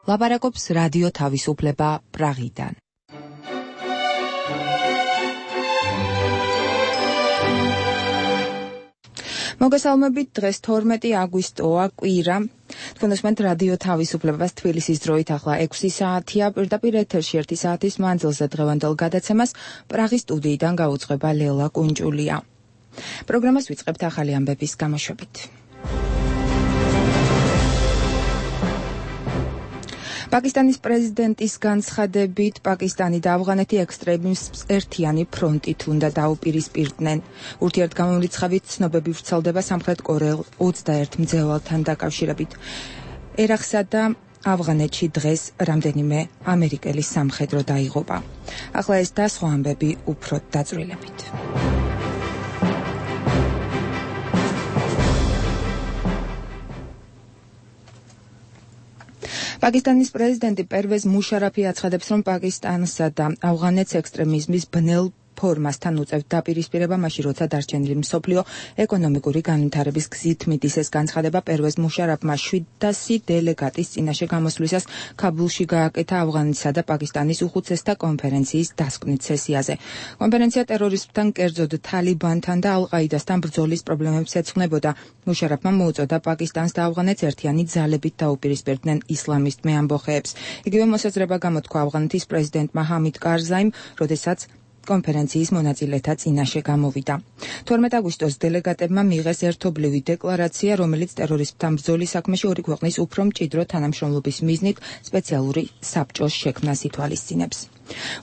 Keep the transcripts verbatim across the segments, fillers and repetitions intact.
ლაპარაკობს რადიო თავისუფლება პრაღიდან. მოგესალმებით, დღეს თორმეტი აგვისტოა, კვირა. თქვენ უსმენთ რადიო თავისუფლებას თბილისის დროით ახლა ექვსი საათია, პირდაპირ ეთერში ერთი საათის მანძილზე დღევანდელ გადაცემას პრაღის სტუდიიდან გაუძღვება ლელა კუნჭულია. პროგრამას ვიწყებთ ახალი ამბების გამოშვებით. პაკისტანის პრეზიდენტის განცხადებით, პაკისტანი და ავღანეთი ექსტრემიზმს ერთიანი ფრონტით უნდა დაუპირისპირდნენ. ურთიერთგამომრიცხავით ცნობები ვრცელდება სამხრეთ კორეელ ოცდაერთ მძევალთან დაკავშირებით. ერაყსა და ავღანეთში დღეს რამდენიმე ამერიკელი სამხედრო დაიღუპა. ახლა ეს და სხვა ამბები უფრო დაწვრილებით. პაკისტანის პრეზიდენტი პერვეზ მუშარაფი აცხადებს, რომ პაკისტანსა და ავღანეთს ექსტრემიზმის ბნელ ფორმასთან უწევთ დაპირისპირება მაშინ, როცა დარჩენილი მსოფლიო ეკონომიკური განვითარების გზით მიდის. ეს განცხადება პერვეზ მუშარაფმა შვიდასი დელეგატის წინაშე გამოსვლისას ქაბულში გააკეთა ავღანეთსა და პაკისტანის უხუცესთა კონფერენციის დასკვნით სესიაზე. კონფერენცია ტერორისტებთან, კერძოდ თალიბანთან და ალ-ყაიდასთან ბრძოლის პრობლემებს ეძღვნებოდა. მუშარაფმა მოუწოდა პაკისტანს და ავღანეთს ერთიანი ძალებით დაუპირისპირდნენ ისლამისტ მეამბოხეებს. იგივე მოსაზრება გამოთქვა ავღანეთის პრეზიდენტმა ჰამიდ კარზაიმ, როდესაც კონფერენციის მონაწილეთა წინაშე გამოვიდა. თორმეტ აგვისტოს დელეგატებმა მიიღეს ერთობლივი დეკლარაცია, რომელიც ტერორისტებთან ბრძოლის საქმეში ორი ქვეყნის უფრო მჭიდრო თანამშრომლობის მიზნით სპეციალური საბჭოს შექმნას ითვალისწინებს.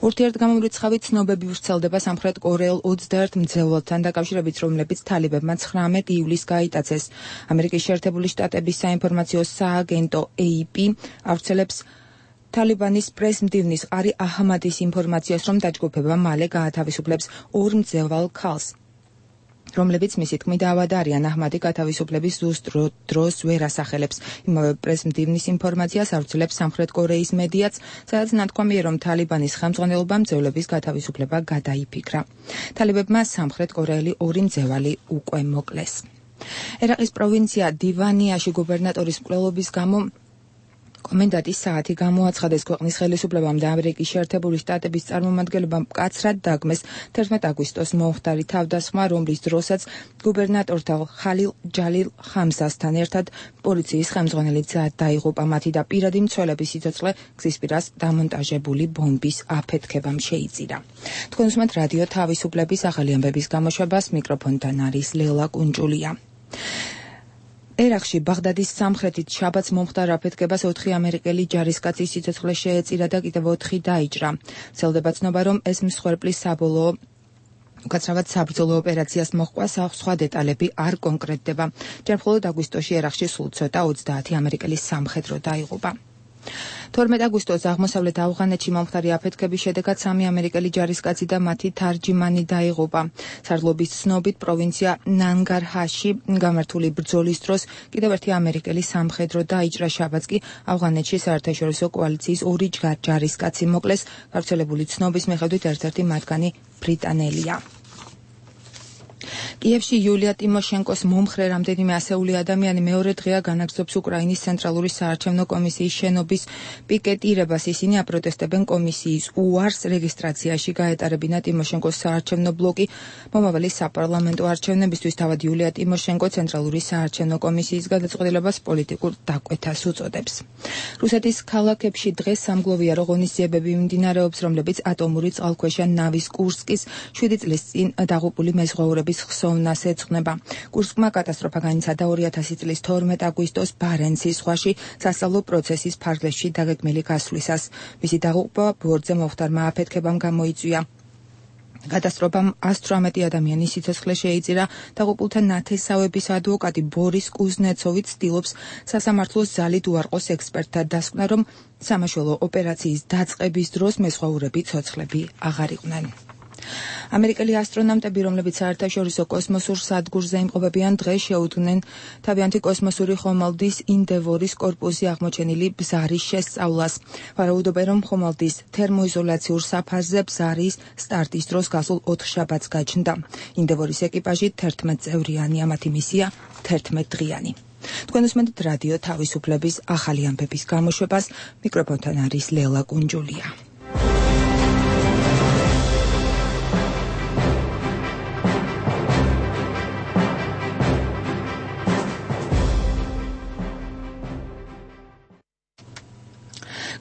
ურთიერთგამომრიცხავი ცნობები ვრცელდება სამხრეთ კორეელ ოცდაერთ მძევალთან დაკავშირებით, რომლებიც თალიბებმა ცხრამეტ ივლისს გაიტაცეს. ამერიკის შეერთებული შტატების საინფორმაციო სააგენტო ეი პი ავრცელებს თალიბანის პრეს-მდივნის ყარი აჰმადის ინფორმაციას, რომ დაჯგუფება მალე გაათავისუფლებს ორ მძევალ ქალს, რომლებიც მისი თქმით ავადარიან. აჰმადი გათავისუფლების ზუსტ დროს ვერ ასახელებს. იმავე პრეს-მდივნის ინფორმაციას ავრცელებს სამხრეთ კორეის მედიაც, სადაც ნათქვამია, რომ თალიბანის ხელმძღვანელობამ მძევლების გათავისუფლება გადაიფიქრა. თალიბებმა სამხრეთ კორეელი ორი მძევალი უკვე მოკლეს. ერაყის პროვინცია დივანიაში გუბერნატორის მკვლელობის გამო კომენდანტის საათი გამოაცხადეს. ქვეყნის ხელისუფლებამ და ამერიკის შეერთებული შტატების წარმომადგენლობამ მკაცრად დაგმეს თერთმეტ აგვისტოს მომხდარი თავდასხმა, რომლის დროსაც გუბერნატორთან ხალილ ჯალილ ხამზასთან ერთად პოლიციის ხელმძღვანელი დაიღუპა. მათი და პირადი მცველების სიცოცხლე გზისპირას დამონტაჟებული ბომბის აფეთქებამ შეიწირა. თქვენ უსმენთ რადიო თავისუფლების ახალი ამბების გამოშვებას, მიკროფონთან არის ლელა კუნჭულია. ერაყში ბაღდადის სამხრეთით შაბათს მომხდარ აფეთქებას ოთხი ამერიკელი ჯარისკაცის სიცოცხლე შეეწირა და კიდევ ოთხი დაიჭრა. ვრცელდება ცნობა, რომ ეს მსხვერპლის საბოლოო უკაცრავად საბრძოლო ოპერაციას მოჰყვა, სხვა დეტალები არ კონკრეტდება. ჯერ მხოლოდ აგვისტოში ერაყში სულ ცოტა ოცდაათი ამერიკელის სამხედრო დაიღუპა. თორმეტ აგვისტოს აღმოსავლეთ ავღანეთში მომხდარი აფეთქების შედეგად სამი ამერიკელი ჯარისკაცი და მათი თარჯიმანი დაიღუპა. სარდლობის ცნობით პროვინცია ნანგარჰარში გამართული ბრძოლის დროს კიდევ ერთი ამერიკელი სამხედრო დაიჭრა. შაბათს კი ავღანეთში საერთაშორისო კოალიციის ორი ჯარისკაცი მოკლეს. გავრცელებული ცნობის მიხედვით ერთ-ერთი მათგანი ბრიტანელია. კიევში იულია ტიმოშენკოს მომხრე რამდენიმე ასეული ადამიანი მეორე დღეა განაგრძობს უკრაინის ცენტრალური საარჩევნო კომისიის შენობის პიკეტირებას. ისინი აპროტესტებენ კომისიის უარს რეგისტრაციაში გაეტარებინა ტიმოშენკოს საარჩევნო ბლოკი მომავალი საპარლამენტო არჩევნებისთვის. თავად იულია ტიმოშენკო ცენტრალური საარჩევნო კომისიის გადაწყვეტილებას პოლიტიკურ დაკვეთას უწოდებს. რუსეთის ქალაქებში დღეს სამგლოვიარო ღონისძიებები მიმდინარეობს, რომლებიც ატომური წყალქვეშა ნავის კურსკის შვიდი წლის წინ დაღუპული მეზღვაურების ხსოვნას ეძღვნება. კურსკმა კატასტროფა განიცადა ორი ათასი წლის თორმეტ აგვისტოს ბარენცის ზღვაში სასწავლო პროცესის ფარგლებში დაგეგმილი გასვლისას. მისი დაღუპვა ბორტზე მომხდარმა აფეთქებამ გამოიწვია. კატასტროფამ ათს თვრამეტი ადამიანის სიცოცხლე შეიწირა. დაღუპულთა ნათესავების ადვოკატი ბორის კუზნეცოვი ცდილობს სასამართლოს ძალით უარყოს ექსპერტთა დასკვნა, რომ სამაშველო ოპერაციის დაწყების დროს მეზღვაურები ცოცხლები აღარ იყვნენ. ამერიკელი ასტრონავტები, რომლებიც საერთაშორისო კოსმოსურ სადგურზე იმყოფებიან, დღეს შეუდგნენ თავიანთი კოსმოსური ხომალდის ინდევორის კორპუსი აღმოჩენილი ბზარის შესწავლას. ვარაუდობენ, რომ ხომალდის თერმოიზოლაციურ საფარზე ბზარის სტარტის დროს გასულ ოთხშაბათს გაჩნდა. ინდევორის ეკიპაჟი თერთმეტ წევრიანია, მათი მისია თერთმეტ დღიანი. თქვენ უსმენთ რადიო თავისუფლების ახალი ამბების გამოშვებას, მიკროფონთან არის ლელა კუნჯულია.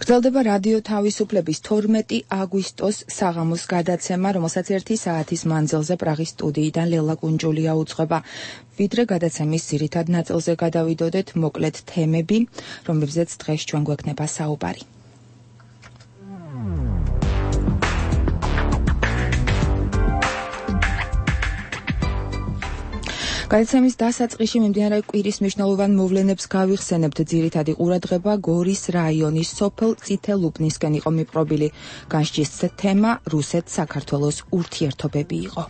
გრძელდება რადიო თავისუფლების თორმეტი აგვისტოს საღამოს გადაცემა, რომელსაც ერთი საათის მანძილზე პრაღის სტუდიიდან ლელა კუნჯულია უძღვება. ვიდრე გადაცემის ძირითად ნაწილზე გადავიდოდეთ, მოკლედ თემები, რომლებზეც დღეს ჩვენ გვექნება საუბარი. გადაცემის დასაწყისში მიმდინარე კვირის მნიშვნელოვან მოვლენებს გავიხსენებთ. ძირითადი ყურადღება გორის რაიონის სოფელ წითელუბნისკენ იყო მიპყრობილი. განსჯის თემა რუსეთ-საქართველოს ურთიერთობები იყო.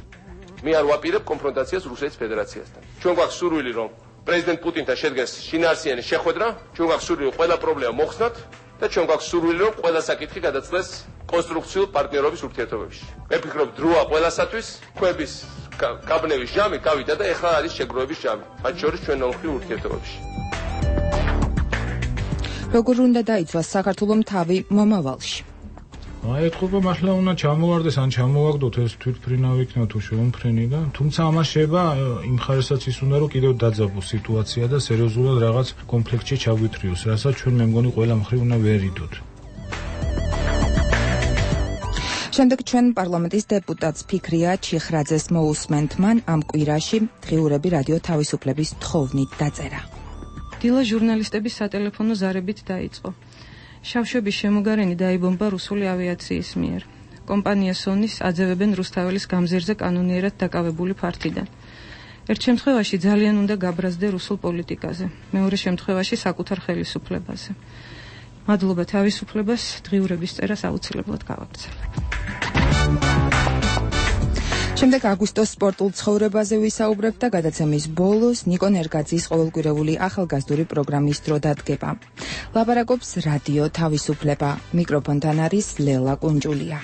მე არ ვაპირებ კონფრონტაციას რუსეთის ფედერაციასთან. ჩვენ გვაქვს სურვილი, რომ პრეზიდენტ პუტინთან შედგეს შინაარსიანი შეხვედრა, ჩვენ გვაქვს სურვილი, რომ ყველა პრობლემა მოხსნათ და ჩვენ გვაქვს სურვილი, რომ ყველა საკითხი გადაწყვეტს კონსტრუქციულ პარტნიორობის ურთიერთობებში. მე ვფიქრობ, დროა ყველასათვის, ქვების გაბნევის ჟამი გავიდა და ეხლა არის შეგროვების ჟამი, მათ შორის ჩვენ ნორმალურ ურთიერთობებში. როგორ უნდა დაიცვას საქართველოს თავი მომავალში? აი ეთქობა მართლა უნდა ჩამოვარდეს ან ჩამოვაგდოთ ეს თვითმფრინავი იქნება თუ შეუმფრენი და თუმცა ამას შეიძლება იმ ხარესაც ის უნდა რომ კიდევ დაძაბოს სიტუაცია და სერიოზულად რაღაც კონფლიქტში ჩაგვითრიოს, რასაც ჩვენ მე მგონი ყველა მხრივ უნდა ვერიდოთ. შემდეგ ჩვენ პარლამენტის დეპუტატს ფიქრია ჩიხრაძეს მოусმენთ. მან ამ კვირაში დღიურები რადიო თავისუფლების თხოვნით დაწერა. დილა ჟურნალისტების სატელეფონო ზარებით დაიწყო. შავშების შემოგარენი დაიბომბა რუსული ავიაციის მიერ. კომპანია სონის აძევებენ რუსთაველის გამზირზე კანონიერად დაკავებული ფართიდან. ერთ შემთხვევაში ძალიან უნდა გაბრაზდე რუსულ პოლიტიკაზე, მეორე შემთხვევაში საკუთარ ხელისუფლებაზე. მადლობა თავისუფლებას, დღიურების წერას აუცილებლად გავაგრძელებ. შემდეგ აგვისტოს სპორტულ ცხოვრებაზე ვისაუბრებ და გადაცემის ბოლოს ნიკო ნერგაძის ყოველკვირეული ახალგაზრდული პროგრამის დრო დადგება. ლაპარაკობს რადიო თავისუფლება. მიკროფონთან არის ლელა კუნჯულია.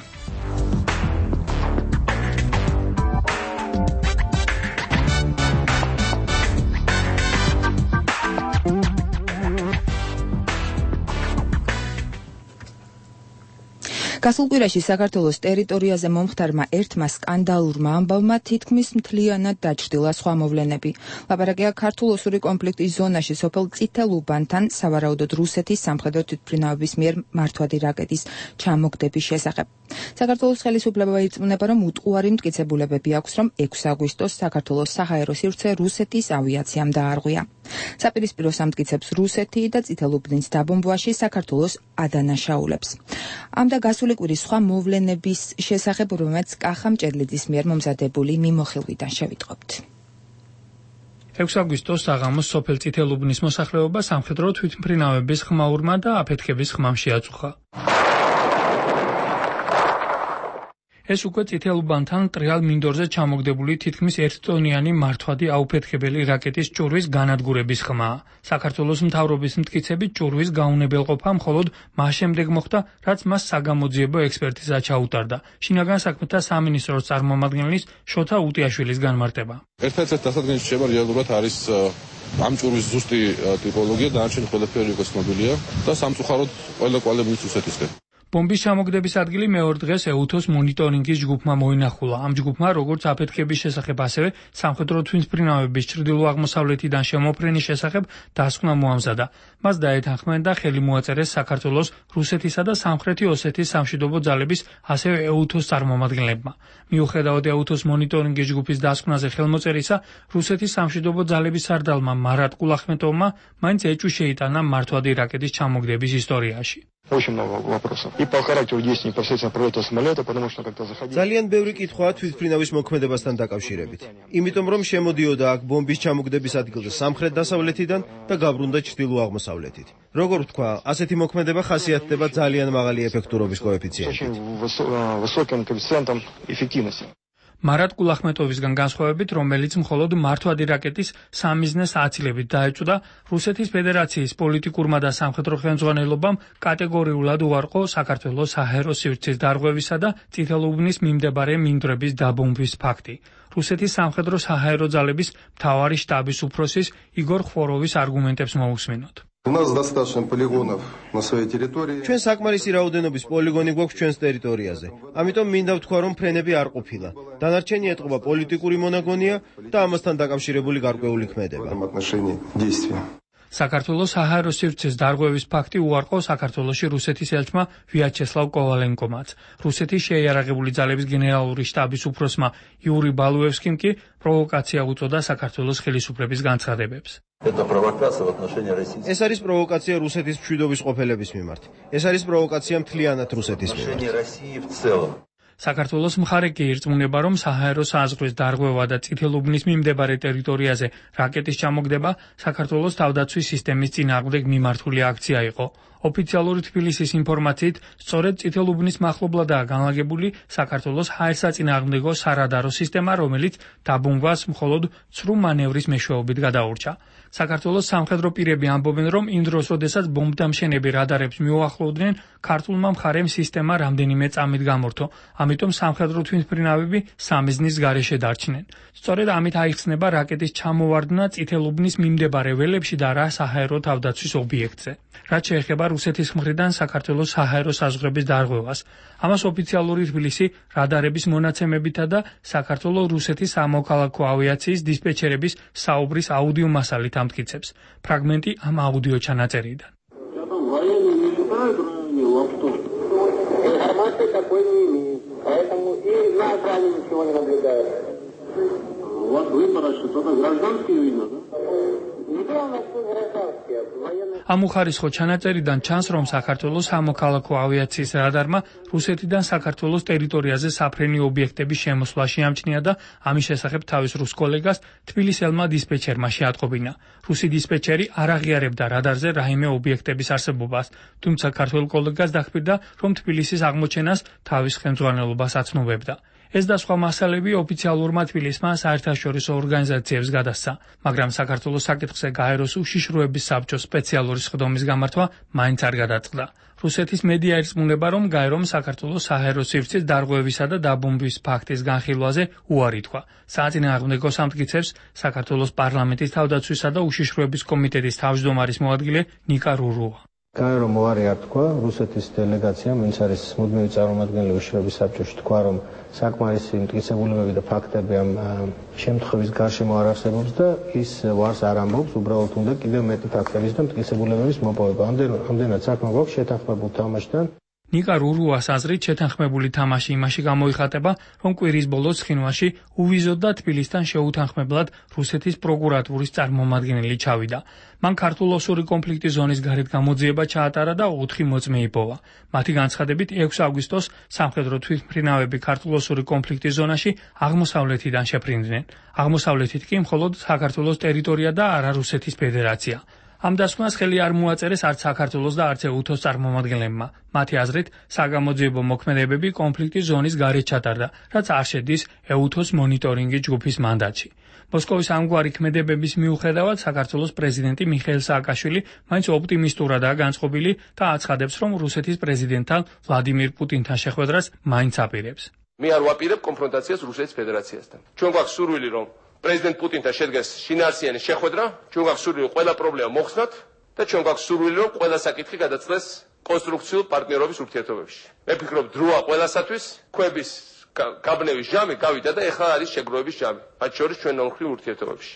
გასულ კვირაში საქართველოს ტერიტორიაზე მომხდარმა ერთმა სკანდალურმა ამბავმა თითქმის მთლიანად დაჩრდილა სხვა მოვლენები. ლაპარაკია ქართულ-ოსური კონფლიქტის ზონაში სოფელ წითელუბანთან სავარაუდოდ რუსეთის სამხედრო თვითმფრინავების მიერ მართვადი რაკეტის ჩამოგდების შესახებ. საქართველოს ხელისუფლება ირწმუნება, რომ უტყუარი მტკიცებულებები აქვს, რომ ექვსი აგვისტოს საქართველოს საჰაერო სივრცე რუსეთის ავიაციამ დაარღვია. საპირისპირო სამტკიცებს რუსეთი და წითელუბნის დაბომბვაში საქართველოს ადანაშაულებს. ამ და გასული კვირის სხვა მოვლენების შესახებ, რომელმაც კახა მჭედლიძის მიერ მომზადებული მიმოხილვიდან შევიტყობთ. ექვსი აგვისტოს საღამოს სოფელ წითელუბნის მოსახლეობა სამხედრო თვითმფრინავების ხმაურმა და აფეთქების ხმამ შეაწუხა. ეს უკვე წითელუბანთან ტრიალ მინდორზე ჩამოგდებული თითქმის ერთტონიანი მართვადი აუფეთქებელი რაკეტის ჭურვის განადგურების ხმაა. საქართველოს მთავრობის მტკიცებით ჭურვის გაუნებელყოფა მხოლოდ მას შემდეგ მოხდა, რაც მას საგამოძიებო ექსპერტიზა ჩაუტარდა. შინაგან საქმეთა სამინისტროს წარმომადგენლის შოთა უტიაშვილის განმარტება. ერთ-ერთ დასადგენში შეება რეალურად არის ამ ჭურვის ზუსტი ტიპოლოგია, დანარჩენი ყველაფერი უკვე ცნობილია და სამწუხაროდ ყველა კვალებიც რუსეთისკენ. ბომბის ჩამოგდების ადგილი მეორე დღეს ეუთოს მონიტორინგის ჯგუფმა მოინახულა. ამ ჯგუფმა როგორც აფეთქების შესახებ, ასევე სამხედრო თვითმფრინავების ჩრდილო-აღმოსავლეთიდან შემოფრენის შესახებ დასკვნა მოამზადა. მას დაეთანხმნენ და ხელი მოაწერეს საქართველოს, რუსეთისა და სამხრეთი ოსეთის სამშვიდობო ძალების, ასევე ეუთოს წარმომადგენლებმა. მიუხედავად ეუთოს მონიტორინგის ჯგუფის დასკვნაზე ხელმოწერისა, რუსეთის სამშვიდობო ძალების სარდალმა მარატ კულახმეტოვმა მაინც ეჭვი შეიტანა მართვადი რაკეტის ჩამოგდების ისტორიაში. Очень много вопросов. И по характеру действий непосредственно пролета самолета, потому что когда заходили... ძალიან ბევრი კითხვაა თვითმფრინავის მოქმედებასთან დაკავშირებით. იმიტომ რომ შემოდიოდა აქ ბომბის ჩამოგდების ადგილზე სამხრეთ-დასავლეთიდან და გაბრუნდა ჩრდილო-აღმოსავლეთით. როგორ ვთქვა, ასეთი მოქმედება ხასიათდება ძალიან მაღალი ეფექტურობის კოეფიციენტით. Высоким коэффициентом эффективности. მარატ კულახმეტოვისგან განსხვავებით, რომელიც მხოლოდ მართვადი რაკეტის სამიზნეს აცილებით დაეჭვდა, რუსეთის ფედერაციის პოლიტიკურმა და სამხედრო ხელმძღვანელობამ კატეგორიულად უარყო საქართველოს საჰაერო სივრცის დარღვევისა და წითელუბნის მიმდებარე მინდვრების დაბომბვის ფაქტი. რუსეთის სამხედრო საჰაერო ძალების მთავარი შტაბის უფროსის იგორ ხვოროვის არგუმენტებს მოусმინოთ. У нас достаточно полигонов на своей территории. ჩვენ საკმარისი რაოდენობის პოლიგონი გვაქვს ჩვენს ტერიტორიაზე. ამიტომ მინდა ვთქვა, რომ ფრენები არ ყოფილა. დანარჩენი ეტყობა პოლიტიკური მონაგონია და ამასთან დაკავშირებული გარკვეული ქმედება. საქართველოს საჰაერო სივრცეს დარღვევის ფაქტი უარყო საქართველოში რუსეთის ელჩმა ვიაჩესლავ კოვალენკომაც. რუსეთის შეიარაღებული ძალების გენერალური შტაბის უფროსმა იური ბალუევსკიმ კი პროვოკაცია უწოდა საქართველოს ხელისუფლების განცხადებებს. ეს არის პროვოკაცია რუსეთის მშვიდობის ყოფილების მიმართ. ეს არის პროვოკაცია მთლიანად რუსეთის მიმართ. საქართველოს მხარე კი ირწმუნება, რომ საჰაერო საზღვრის დარღვევა და წითელუბნის მიმდებარე ტერიტორიაზე რაკეტის ჩამოგდება საქართველოს თავდაცვის სისტემის წინააღმდეგ მიმართული აქცია იყო. ოფიციალური თბილისის ინფორმაციით, სწორედ წითელუბნის მახლობლადაა განლაგებული საქართველოს ჰაერსაწინააღმდეგო სარადარო სისტემა, რომელიც დაბომბვას მხოლოდ ცრუ მანევრის მეშვეობით გადაურჩა. საქართველოს სამხედრო პირები ამბობენ, რომ იმ დროს, როდესაც ბომბდამშენები რადარებს მიუახლოვდნენ, ქართულმა მხარემ სისტემა რამდენიმე წამით გამორთო, ამიტომ სამხედრო თვითმფრინავები სამიზნის გარეშე დარჩნენ. სწორედ ამით აიხსნება რაკეტის ჩამოვარდნა წითელუბნის მიმდებარე ველებში და რა საჰაერო თავდაცვის ობიექტზე. რაც შეეხება რუსეთის მხრიდან საქართველოს საჰაერო საზღვრების დარღვევას. ამას ოფიციალური თბილისი რადარების მონაცემებითა და საქართველოს რუსეთის სამოქალაქო ავიაციის დისპეჩერების საუბრის აუდიო მასალით ამტკიცებს. ფრაგმენტი ამ აუდიო ჩანაწერიდან. ამ უხარისხო ჩანაწერიდან ჩანს, რომ საქართველოს სამოქალაქო ავიაციის რადარმა რუსეთიდან საქართველოს ტერიტორიაზე საფრენი ობიექტების შემოსვლა შეამჩნია და ამის შესახებ თავის რუს კოლეგას თბილისელმა დისპეჩერმა შეატყობინა. რუსი დისპეჩერი არ აღიარებდა რადარზე რაიმე ობიექტების არსებობას, თუმცა ქართველ კოლეგას დახმირდა, რომ თბილისის აღმოჩენას თავის ხელმძღვანელობას აცნობებდა. ეს და სხვა მასალები ოფიციალურმა თბილისმა საერთაშორისო ორგანიზაციებს გადასცა, მაგრამ საქართველოს საკითხზე გაეროს უშიშროების საბჭოს სპეციალური სხდომის გამართვა მაინც არ გადაწყდა. რუსეთის მედია ირწმუნება, რომ გაერომ საქართველოს საჰაერო სივრცის დარღვევისა და დაბომბვის ფაქტის განხილვაზე უარი თქვა. საწინააღმდეგო სამტკიცებს საქართველოს პარლამენტის თავდაცვისა და უშიშროების კომიტეტის თავმჯდომარის მოადგილე ნიკა რურუა. გაერომ უარი არ თქვა რუსეთის დელეგაციამ, ვინც არის მუდმივი წარმომადგენელი უშიშროების საბჭოში, თქვა, რომ საკმარისი მტკიცებულებები და ფაქტები ამ შემთხვევის გარშემო არ არსებობს და ის ვარს არ ამბობს, უბრალოდ უნდა კიდევ მეტი ფაქტების და მტკიცებულებების მოპოვება. ამდენად საქმე გვაქვს შეთანხმებულ თამაშთან. ნიკა რურუას აზრით შეთანხმებული თამაში იმაში გამოიხატება, რომ კვირის ბოლოს ცხინვალში უვიზოდ და თბილისთან შეუთანხმებლად რუსეთის პროკურატურის წარმომადგენელი ჩავიდა. მან ქართულ-ოსური კონფლიქტის ზონის გარეთ გამოძიება ჩაატარა და ოთხი მოწმე იპოვა. მათი განცხადებით ექვსი აგვისტოს სამხედრო თვითმფრინავები ქართულ-ოსური კონფლიქტის ზონაში აღმოსავლეთიდან შეფრინდნენ. აღმოსავლეთით კი მხოლოდ საქართველოს ტერიტორია და არა რუსეთის ფედერაცია. ამ დასკვნას ხელი არ მოაწერეს არც საქართველოს და არც ეუთოს წარმომადგენლებმა. მათი აზრით, საგამოძიებო მოქმედებები კონფლიქტის ზონის გარეთ ჩატარდა, რაც არ შედის ეუთოს მონიტორინგის ჯგუფის მანდატში. მოსკოვის ამგვარი ქმედებების მიუხედავად, საქართველოს პრეზიდენტი მიხეილ სააკაშვილი მაინც ოპტიმისტურადაა განწყობილი და აცხადებს, რომ რუსეთის პრეზიდენტთან ვლადიმირ პუტინთან შეხვედრას მაინც აპირებს. მე არ ვაპირებ კონფრონტაციას რუსეთის ფედერაციასთან. ჩვენ გვაქვს სურვილი, რომ პრეზიდენტ პუტინთან შედგეს შინაარსიანი შეხვედრა, ჩვენ გვაქვს სურვილი ყველა პრობლემა მოხსნათ და ჩვენ გვაქვს სურვილი, რომ ყველა საკითხი გადაწყვეტს კონსტრუქციულ პარტნიორობის ურთიერთობებში. მე ვფიქრობ, დროა ყველასათვის, ქვების გაბნევის ჟამი გავიდა და ეხლა არის შეგროვების ჟამი, მათ შორის ჩვენო მხრივ ურთიერთობებში.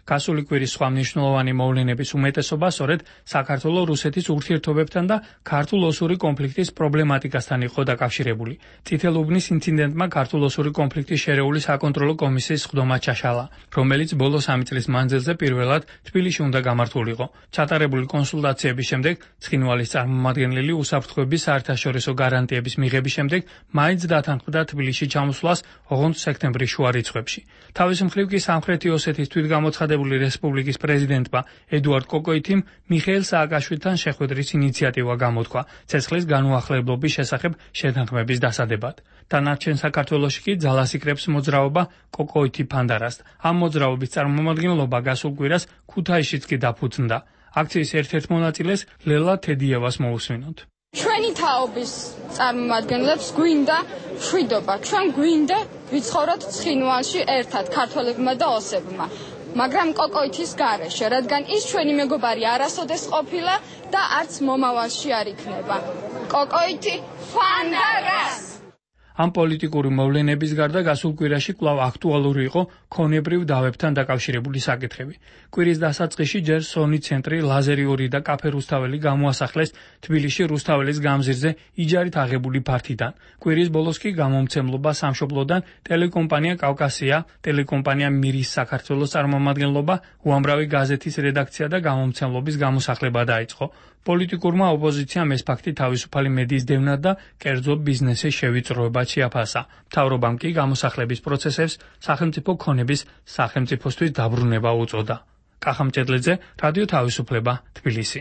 გასული კვირის სხვა მნიშვნელოვანი მოვლენების უმეტესობა სწორედ საქართველოს რუსეთის ურთიერთობებთან და ქართულ-ოსური კონფლიქტის პრობლემატიკასთან იყო დაკავშირებული. წითელუბნის ინციდენტმა ქართულ-ოსური კონფლიქტის შერეული საკონტროლო კომისიის სხდომა ჩაშალა, რომელიც ბოლო სამი წლის მანძილზე პირველად თბილისში უნდა გამართულიყო. ჩატარებული კონსულტაციების შემდეგ ცხინვალის წარმომადგენელი უსაფრთხოების საერთაშორისო გარანტიების მიღების შემდეგ მაინც დათანხმდა თბილისში ჩამოსვლას ოღონდ სექტემბრის შუა რიცხვებში. თავის მხრივ კი სამხრეთი ოსეთის თვითგამოცხადებული რესპუბლიკის პრეზიდენტმა ედუარდ კოკოითიმ მიხეილ სააკაშვილთან შეხვედრის ინიციატივა გამოთქვა ცეცხლის განუახლებლობის შესახებ შეთანხმების დასადებად. დანარჩენ საქართველოში კი ძალას იკრებს მოძრაობა კოკოითი ფანდარას. ამ მოძრაობის წარმომადგენლობა გასულ კვირას ქუთაისშიც კი დაფუძნდა. აქციის ერთ-ერთ მონაწილეს ლელა თედიევას მოусმინოთ. ჩვენი თაობის წარმომადგენლებს გვინდა მშვიდობა, ჩვენ გვინდა ვიცხოვროთ ცხინვალში ერთად ქართველებმა და ოსებმა. მაგრამ კოკოითის გარეშე, რადგან ის ჩვენი მეგობარი არასოდეს ყოფილა და არც მომავალში არ იქნება. კოკოითი ფანდაგას! ამ პოლიტიკური მოვლენების გარდა გასულ კვირაში კვლავ აქტუალური იყო ქონებრივ დავებთან დაკავშირებული საკითხები. კვირის დასაწყისში ჯერ სონი ცენტრი, ლაზერი ორი და კაფე რუსთაველი გამოასახლეს თბილისში რუსთაველის გამზირზე იჯარით აღებული ფართიდან. კვირის ბოლოს კი გამომცემლობა სამშობლოდან ტელეკომპანია კავკასია, ტელეკომპანია მირის საქართველოს წარმომადგენლობა, უამრავი გაზეთის რედაქცია და გამომცემლობის გამოსახლება დაიწყო. პოლიტიკურმა ოპოზიციამ ეს ფაქტი თავისუფალი მედიის დევნად და კერძო ბიზნესის შევიწროებად შეაფასა. მთავრობამ კი გამოსახლების პროცესებს სახელმწიფო ქონების სახელმწიფოსთვის დაბრუნება უწოდა. კახა მჭედლიძე, რადიო თავისუფლება, თბილისი.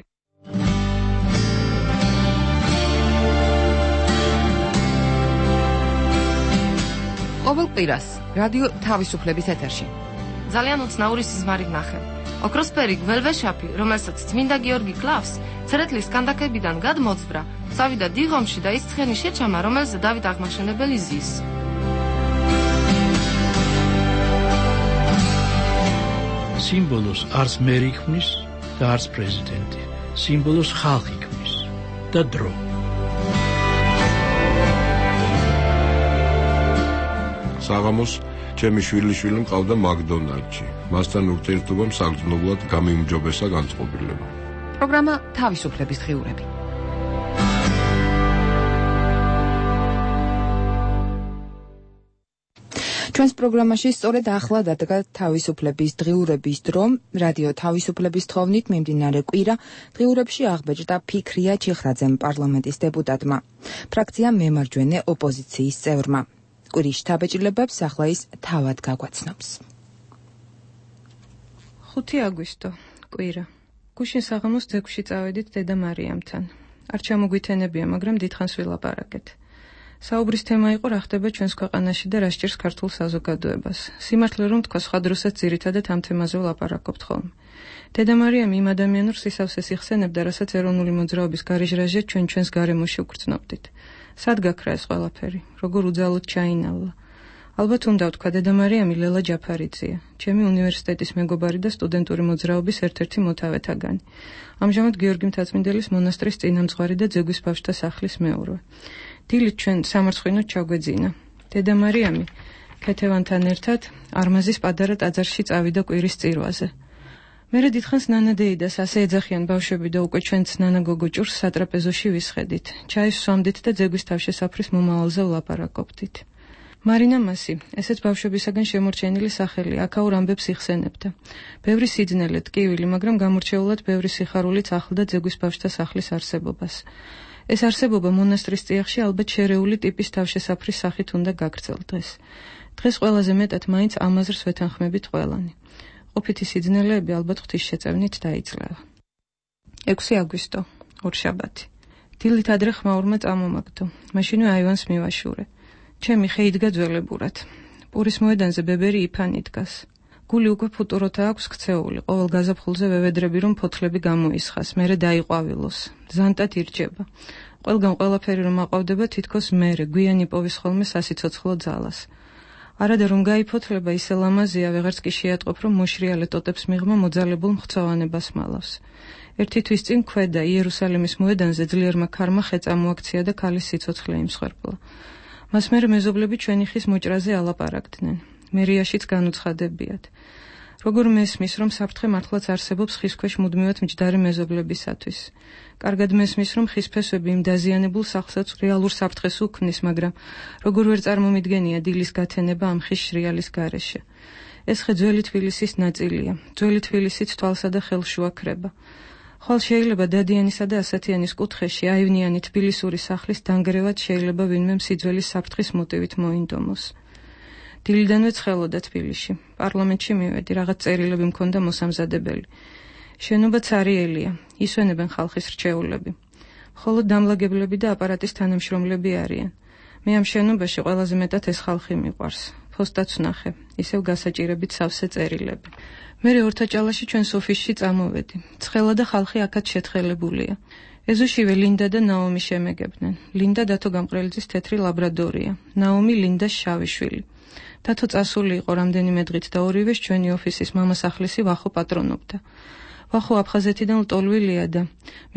ყოველ კვირას რადიო თავისუფლების ეთერში. ძალიან უცნაური სიზმარი ვნახე. ოქროსფერი გველვეშაპი, რომელსაც წმინდა გიორგი კლავს, ცერეთლის კანდაკებიდან გადმოძვრა, წავიდა დიღომში და ის ცხენი შეჩამა, რომელზე დავით აღმაშენებელი ზის. სიმბოლოს არც მერი ქმნის და არც პრეზიდენტი. სიმბოლოს ხალხი ქმნის და დრო. საღამოს ჩემი შვილიშვილი მყავდა მაკდონალდში. მასთან ურთიერთობამ საგრძნობლად გამიმჯობესა განწყობილება. პროგრამა თავისუფლების დღიურები. ჩვენს პროგრამაში სწორედ ახლა დადგა თავისუფლების დღიურების დრო. რადიო თავისუფლების თხოვნით მიმდინარე კვირა დღიურებში აღბეჭდა ფიქრია ჩიხრაძემ, პარლამენტის დეპუტატმა, ფრაქცია მემარჯვენე ოპოზიციის წევრმა. კვირის შთაბეჭდილებებს ახლა ის თავად გაგვაცნობს. ხუთი აგვისტო, კვირა. გუშინ საღამოს ძეგლში წავედით დედა მარიამთან. არ ჩამოგვითენებია, მაგრამ დიდხანს ვილაპარაკეთ. საუბრის თემა იყო რა ხდება ჩვენს ქვეყანაში და რა სჭირს ქართულ საზოგადოებას. სიმართლე რომ თქვა, სხვა დროსაც ძირითადად ამ თემაზე ვლაპარაკობთ ხოლმე. დედა მარიამი იმ ადამიანურ სისავსეს იხსენებდა, რასაც ეროვნული მოძრაობის გარეჟრაჟად ჩვენ ჩვენს გარემოში ვგრძნობდით. სად გაქრა ეს ყველაფერი? როგორ უძალოდ ჩაინავლა? ალბათ უნდა ვთქვა, დედა მარიამი ლელა ჯაფარიძეა, ჩემი უნივერსიტეტის მეგობარი და სტუდენტური მოძრაობის ერთ-ერთი მოთავეთაგანი. ამჟამად გიორგი მთაწმინდელის მონასტრის წინამძღვარი და ძეგვის ბავშვთა სახლის მეურვე. დილით ჩვენ სამარცხინოდ ჩაგვეძინა. დედა მარიამი ქეთევანთან ერთად არმაზის პატარა ტაძარში წავიდა კვირის წირვაზე. მერე დიდხანს ნანა დეიდას ასე ეძახიან ბავშვები და უკვე ჩვენც ნანა გოგო ჭურს სატრაპეზოში ვისხედით. ჩაის სვამდით და ძეგვის თავშესაფრის მომავალზე ვლაპარაკობდით. მარინა მასი, ესეც ბავშვებისაგან შემორჩენილი სახელი, აქაურ ამბებს იხსენებდა. ბევრი სიძნელე, ტკივილი, მაგრამ გამორჩეულად ბევრი სიხარულით ახლდა ძეგვის ბავშვთა სახლის არსებობას. ეს არსებობა მონასტრის წიაღში ალბათ შერეული ტიპის თავშესაფრის სახით უნდა გაგრძელდეს. დღეს ყველაზე მეტად მაინც ამაზრს ვეთანხმებით ყველანი. ყოფითი სიძნელეები ალბათ ღვთისშეწევნით დაიძლევა. ექვსი აგვისტო, ორშაბათი. დილით ადრე ხმაურმა წამომაგდო. მაშინვე აივანს მივაშურე. ჩემი ხე იდგა ძველებურად. პურის მოედანზე ბებერი იფანი დგას. გული უკვე ფუტუროთა აქვს ქცეული, ყოველ გაზაფხულზე ვევედრები რომ ფოთლები გამოისხას, მერე დაიყვავილოს. ზანტად ირჩება. ყველგან ყველაფერი რომ აყვავდება თითქოს მერე, გვიანი პოვის ხოლმე სასიცოცხლო ძალას. არადა რომ გაიფოთლება ისე ლამაზია, ვეღარც კი შეატყობ, რომ მოშრიალე ტოტებს მიღმა მოძალებულ მხცოვანებას მალავს. ერთი თვის წინ ქვედა იერუსალიმის მოედანზე ძლიერმა ქარმა ხე წამოაქცია და ქალის სიცოცხლე იმსხვერპლა. მას მერე მეზობლები ჩვენი ხის მოჭრაზე ალაპარაკდნენ. მერიაშიც განუცხადებიათ. როგორ მესმის, რომ საფრთხე მართლაც არსებობს ხის ქვეშ მუდმივად მჯდარი მეზობლებისათვის. კარგად მესმის, რომ ხის ფესვები იმ დაზიანებულ სახლსაც რეალურ საფრთხეს უქმნის, მაგრამ როგორ ვერ წარმომიდგენია დილის გათენება ამ ხის შრიალის გარეშე. ეს ხე ძველი თბილისის ნაწილია. ძველი თბილისიც თვალსა და ხელშუა ქრება. ხვალ შეიძლება დადიანისა და ასათიანის კუთხეში აივნიანი თბილისური სახლის დანგრევად შეიძლება ვინმე მსიძველის საფრთხის მოტივით მოინდომოს. დილიდანვე ცხელოდა თბილისში. პარლამენტში მივედი, რაღაც წერილები მქონდა მოსამზადებელი. შენობა цаრიელია, ისვენებენ ხალხის რჩეულები. მხოლოდ დამლაგებლები და აპარატის თანამშრომლები არიან. მე ამ შენობაში ყველაზე მეტად ეს ხალხი მიყვარს. ფოსტაც ვნახე, ისევ გასაჭირებით სავსე წერილები. მერე ორთაჭალაში ჩვენს ოფისში წამოვედი. ცხელა და ხალხი აქაც შეთხელებულია. ეზოშივე ლინდა და ნაომი შემეგებდნენ. ლინდა დათო გამყრელიძის თეთრი ლაბრადორია. ნაომი ლინდას შავი შვილი. დათო წასული იყო რამდენიმე დღით და ორივეს ჩვენი ოფისის მამასახლისი ვახო პატრონობდა. ვახო აფხაზეთიდან ლტოლვილია და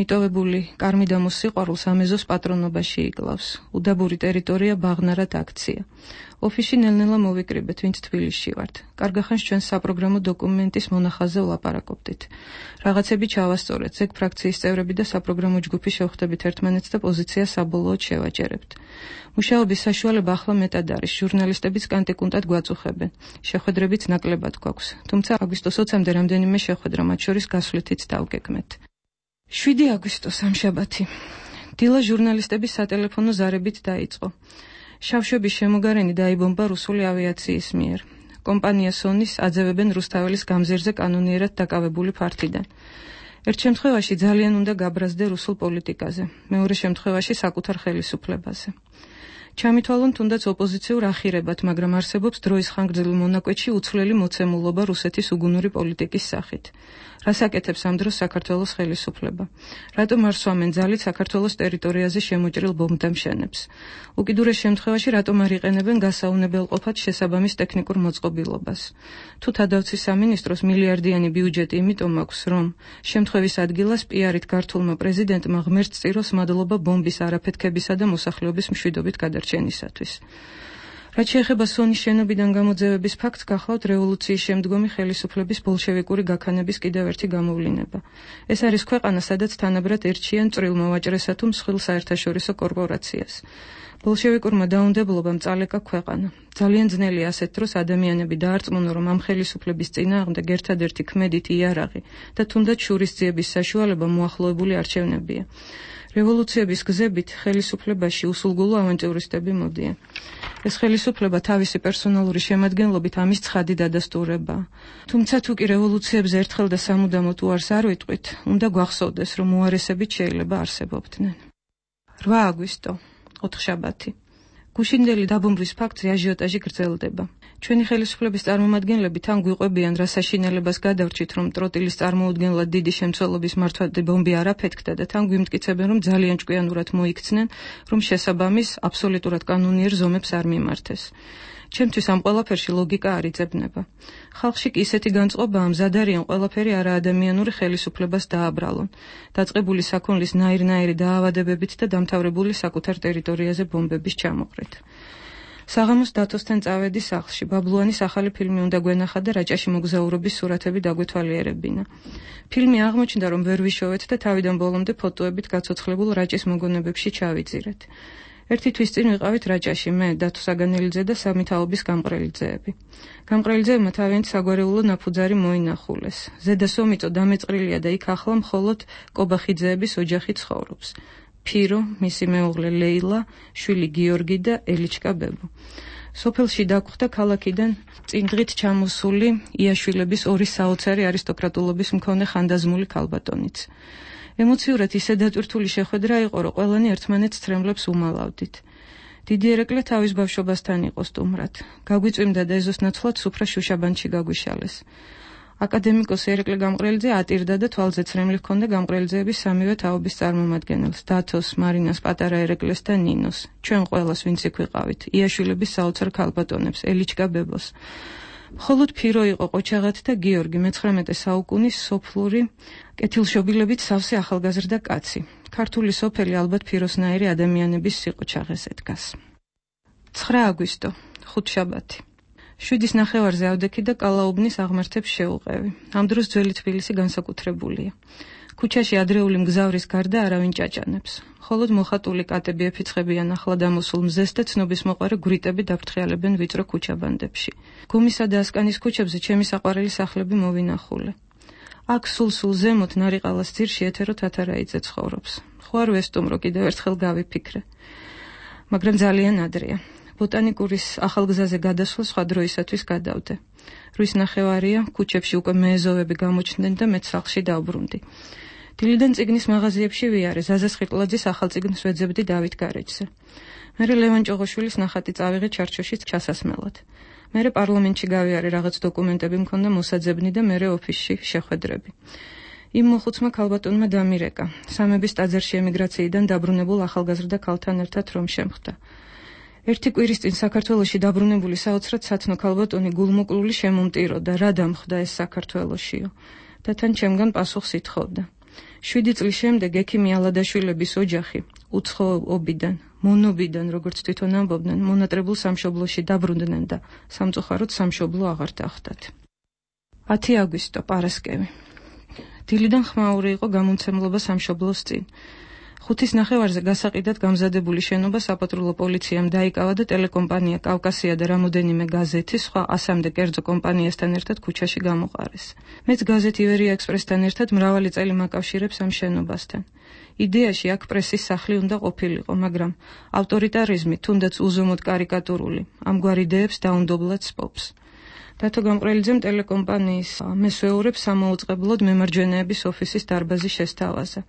მიტოვებული კარმიდამოს სიყვარულს ამეზოს პატრონობაში იკლავს. უდაბური ტერიტორია ბაღნარად აქცია. ოფისში ნელ-ნელა მოვიკრიბეთ, ვინც თბილისში ვართ. კარგახანს ჩვენ საპროგრამო დოკუმენტის მონახაზზე ვლაპარაკობდით. რაღაცები ჩავასწორეთ, ზეგ ფრაქციის წევრები და საპროგრამო ჯგუფი შევხვდებით ერთმანეთს და პოზიციას საბოლოოდ შევაჯერებთ. მუშაობის საშუალება ახლა მეტად არის, ჟურნალისტებიც კანტიკუნტად გვაწუხებენ. შეხვედრებიც ნაკლებად გვაქვს, თუმცა აგვისტოს ოცამდე რამდენიმე შეხვედრა, მათ შორის გასვლითიც დავგეგმეთ. შვიდი აგვისტო სამშაბათი. დილა ჟურნალისტების სატელეფონო ზარებით დაიწყო. შავშობის შემოგარენი დაიბომბა რუსული ავიაციის მიერ. კომპანია სონის აძევებენ რუსთაველის გამზირზე კანონიერად დაკავებული ფართიდან. ერთ შემთხვევაში ძალიან უნდა გაბრაზდე რუსულ პოლიტიკაზე, მეორე შემთხვევაში საკუთარ ხელისუფლებაზე. ჩამითვალონ თუნდაც ოპოზიციურ ახირებად, მაგრამ არსებობს დროის ხანგრძლივ მონაკვეთში უცვლელი მოცემულობა რუსეთის უგუნური პოლიტიკის სახით. რას აკეთებს ამ დროს საქართველოს ხელისუფლება? რატომ არ სვამენ ძალით საქართველოს ტერიტორიაზე შემოჭრილ ბომბდამშენებს? უკიდურეს შემთხვევაში რატომ არ იყენებენ გასაუნებელყოფად შესაბამის ტექნიკურ მოწყობილობას? თუ თადავცის სამინისტროს მილიარდიანი ბიუჯეტი იმიტომ აქვს, რომ შემთხვევის ადგილას პიარით გართულმა პრეზიდენტმა ღმერთს წიროს მადლობა ბომბის არაფეთქებისა და მოსახლეობის მშვიდობით გადარჩენისათვის. რაც შეეხება სონის შენობიდან გამოძევების ფაქტს, გახლავთ რევოლუციის შემდგომი ხელისუფლების ბოლშევიკური გაქანების კიდევ ერთი გამოვლინება. ეს არის ქვეყანა, სადაც თანაბრად ერჩიან წვრილ მოვაჭრესა თუ მსხვილ საერთაშორისო კორპორაციას. ბოლშევიკურმა დაუნდებლობამ წალეკა ქვეყანა. ძალიან ძნელია ასეთ დროს ადამიანები დაარწმუნონ, რომ ამ ხელისუფლების წინააღმდეგ ერთადერთი ქმედით იარაღი და თუნდაც შურისძიების საშუალება მოახლოებული არჩევნებია. რევოლუციების გზებით ხელისუფლებაში უსულგულო ავანტიურისტები მოდიან. ეს ხელისუფლება თავისი პერსონალური შემადგენლობით ამის ცხადი დადასტურებაა. თუმცა თუ კი რევოლუციებზე ერთხელ და სამუდამოდ უარს არ ვიტყვით, უნდა გვახსოვდეს, რომ უარესებით შეიძლება არსებობდნენ. რვა აგვისტო, ოთხშაბათი. გუშინდელი დაბომბვის ფაქტზე აჟიოტაჟი გრძელდება. ჩვენი ხელისუფლების წარმომადგენლები თან გვიყვებიან, რა საშინელებას გადავრჩით, რომ ტროტილის წარმოუდგენლად დიდი შემცველობის მართვადი ბომბი არ აფეთქდა და თან გვიმტკიცებენ, რომ ძალიან ჭკვიანურად მოიქცნენ, რომ შესაბამის აბსოლუტურად კანონიერ ზომებს არ მიმართეს. ჩემთვის ამ ყველაფერში ლოგიკა არ იძებნება. ხალხში კი ისეთი განწყობაა, მზად არიან ყველაფერი არაადამიანური ხელისუფლებას დააბრალონ, დაწყებული საქონლის ნაირ-ნაირი დაავადებებით და დამთავრებული საკუთარ ტერიტორიაზე ბომბების ჩამოყრით. საღამოს დათოსთან წავედი სახლში, ბაბლუანის ახალი ფილმი უნდა გვენახა და რაჭაში მოგზაურობის სურათები დაგვეთვალიერებინა. ფილმი აღმოჩნდა, რომ ვერ ვიშოვეთ და თავიდან ბოლომდე ფოტოებით გაცოცხლებულ რაჭის მოგონებებში ჩავიძირეთ. ერთი თვის წინ ვიყავით რაჭაში, მე, დათო საგანელიძე და სამი თაობის გამყრელიძეები. გამყრელიძეებმა თავიანთი საგვარეულო ნაფუძარი მოინახულეს. ზედა სომიწო დამეწყრილია და იქ ახლა მხოლოდ კობახიძეების ოჯახი ცხოვრობს. ფირო, მისი მეუღლე ლეილა, შვილი გიორგი და ელიჩკა ბებო. სოფელში დაგვხვდა ქალაქიდან წინდღით ჩამოსული იაშვილების ორი საოცარი არისტოკრატულობის მქონე ხანდაზმული ქალბატონიც. ემოციურად ისე დატვირთული შეხვედრა იყო, რომ ყველანი ერთმანეთს ცრემლებს უმალავდით. დიდი ერეკლე თავის ბავშვობასთან იყო სტუმრად. გაგვიწვიმდა და ეზოს ნაცვლად სუფრა შუშაბანში გაგვიშალეს. აკადემიკოს ერეკლე გამყრელიძე ატირდა და თვალზე ცრემლი ჰქონდა გამყრელიძეების სამივე თაობის წარმომადგენელს, დათოს, მარინას, პატარა ერეკლეს და ნინოს. ჩვენ ყველას, ვინც იქ ვიყავით, იაშვილების საოცარ ქალბატონებს, ელიჩკა ბებოს. მხოლოდ ფირო იყო ყოჩაღად და გიორგი, მეცხრამეტე საუკუნის სოფლური კეთილშობილებით სავსე ახალგაზრდა კაცი. ქართული სოფელი ალბათ ფიროსნაირი ადამიანების სიყოჩაღეზე დგას. ცხრა აგვისტო, ხუთშაბათი. შვიდის ნახევარზე ავდექი და კალაუბნის აღმართებს შეუყევი. ამ დროს ძველი თბილისი განსაკუთრებულია. ქუჩაში ადრეული მგზავრის გარდა არავინ ჭაჭანებს. მხოლოდ მოხატული კატები ეფიცხებიან ახლად ამოსულ მზეს და ცნობის მოყარე გვრიტები დაფრთხიალებენ ვიწრო ქუჩაბანდებში. გუმისა და ასკანის ქუჩებზე ჩემი საყვარელი სახლები მოვინახულე. აქ სულ-სულ ზემოთ ნარიყალას ძირში ეთერო თათარაიძე ცხოვრობს. ხო არ ვესტუმრო, კიდევ ერთხელ გავიფიქრე. მაგრამ ძალიან ადრეა. ბოტანიკურის ახალგზაზე გადასვლა სხვა დროისათვის გადავდე. რვის ნახევარია, ქუჩებში უკვე მეეზოვები გამოჩნდნენ და მეც სახლში დავბრუნდი. დილიდან წიგნის მაღაზიებში ვიარე, ზაზა სხირტლაძის ახალ წიგნს ვეძებდი დავით გარეჯზე. მერე ლევან ჭოღოშვილის ნახატი წავიღე ჩარჩოში ჩასასმელად. მერე პარლამენტში გავიარე, რაღაც დოკუმენტები მქონდა მოსაძებნი და მერე ოფისში შეხვედრები. იმ მოხუცმა ქალბატონმა დამირეკა, სამების ტაძარში ემიგრაციიდან დაბრუნებულ ახალგაზრდა ქალთან ერთად რომ შემხდა. ერთი კვირის წინ საქართველოში დაბრუნებული საოცრად სათნო ქალბატონი გულმოკლული შემომტიროდა, რა დამხდა ეს საქართველოშიო და თან ჩემგან პასუხს ითხოვდა. შვიდი წლის შემდეგ ექიმი ალადაშვილების ოჯახი უცხოობიდან, მონობიდან, როგორც თვითონ ამბობდნენ, მონატრებულ სამშობლოში დაბრუნდნენ და სამწუხაროდ სამშობლო აღარ დახვდათ. ათი აგვისტო, პარასკევი. დილიდან ხმაური იყო გამომცემლობა სამშობლოს წინ. ხუთის ნახევარზე გასაყიდად გამზადებული შენობა საპატრულო პოლიციამ დაიკავა და ტელეკომპანია კავკასია და რამოდენიმე გაზეთი სხვა ასამდე კერძო კომპანიასთან ერთად ქუჩაში გამოყარეს. მეც გაზეთ ივერია ექსპრესთან ერთად მრავალი წელი მაკავშირებს ამ შენობასთან. იდეაში აქ პრესის სახლი უნდა ყოფილიყო, მაგრამ ავტორიტარიზმი, თუნდაც უზომოდ კარიკატურული, ამგვარ იდეებს დაუნდობლად სპობს. დათო გამყრელიძემ ტელეკომპანიის მესვეურებს სამოუწყებლოდ მემარჯვენეების ოფისის დარბაზი შესთავაზა.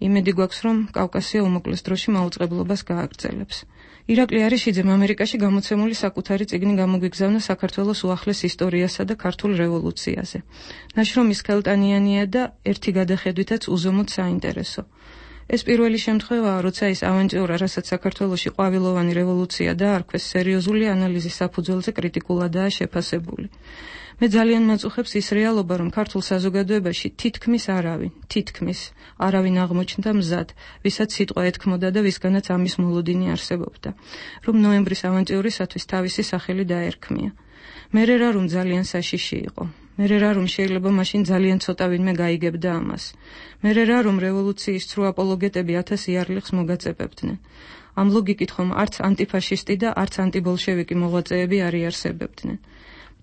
იმედი გვაქვს, რომ კავკასია უმოკლეს დროში მაუწყებლობას გააგრძელებს. ირაკლი არიშიძემ ამერიკაში გამოცემული საკუთარი წიგნი გამოგვიგზავნა საქართველოს უახლეს ისტორიასა და ქართულ რევოლუციაზე. ნაშრომი სქელტანიანია და ერთი გადახედვითაც უზომოდ საინტერესო. ეს პირველი შემთხვევაა, როცა ის ავანტიურა, რასაც საქართველოში ყვავილოვანი რევოლუცია დაარქვეს, სერიოზული ანალიზის საფუძველზე კრიტიკულადაა შეფასებული. მე ძალიან მაწუხებს ის რეალობა, რომ ქართულ საზოგადოებაში თითქმის არავინ, თითქმის არავინ აღმოჩნდა მზად, ვისაც სიტყვა ეთქმოდა და ვისგანაც ამის მოლოდინი არსებობდა, რომ ნოემბრის ავანტიურისათვის თავისი სახელი დაერქმია. მერე რა რომ ძალიან საშიში იყო. მერე რა რომ შეიძლება მაშინ ძალიან ცოტა ვინმე გაიგებდა ამას. მერე რა რომ რევოლუციის ცრუ აპოლოგეტები ათას იარლიხს მოგაწებებდნენ. ამ ლოგიკით ხომ არც ანტიფაშისტი და არც ანტიბოლშევიკი მოღვაწეები არ იარსებებდნენ.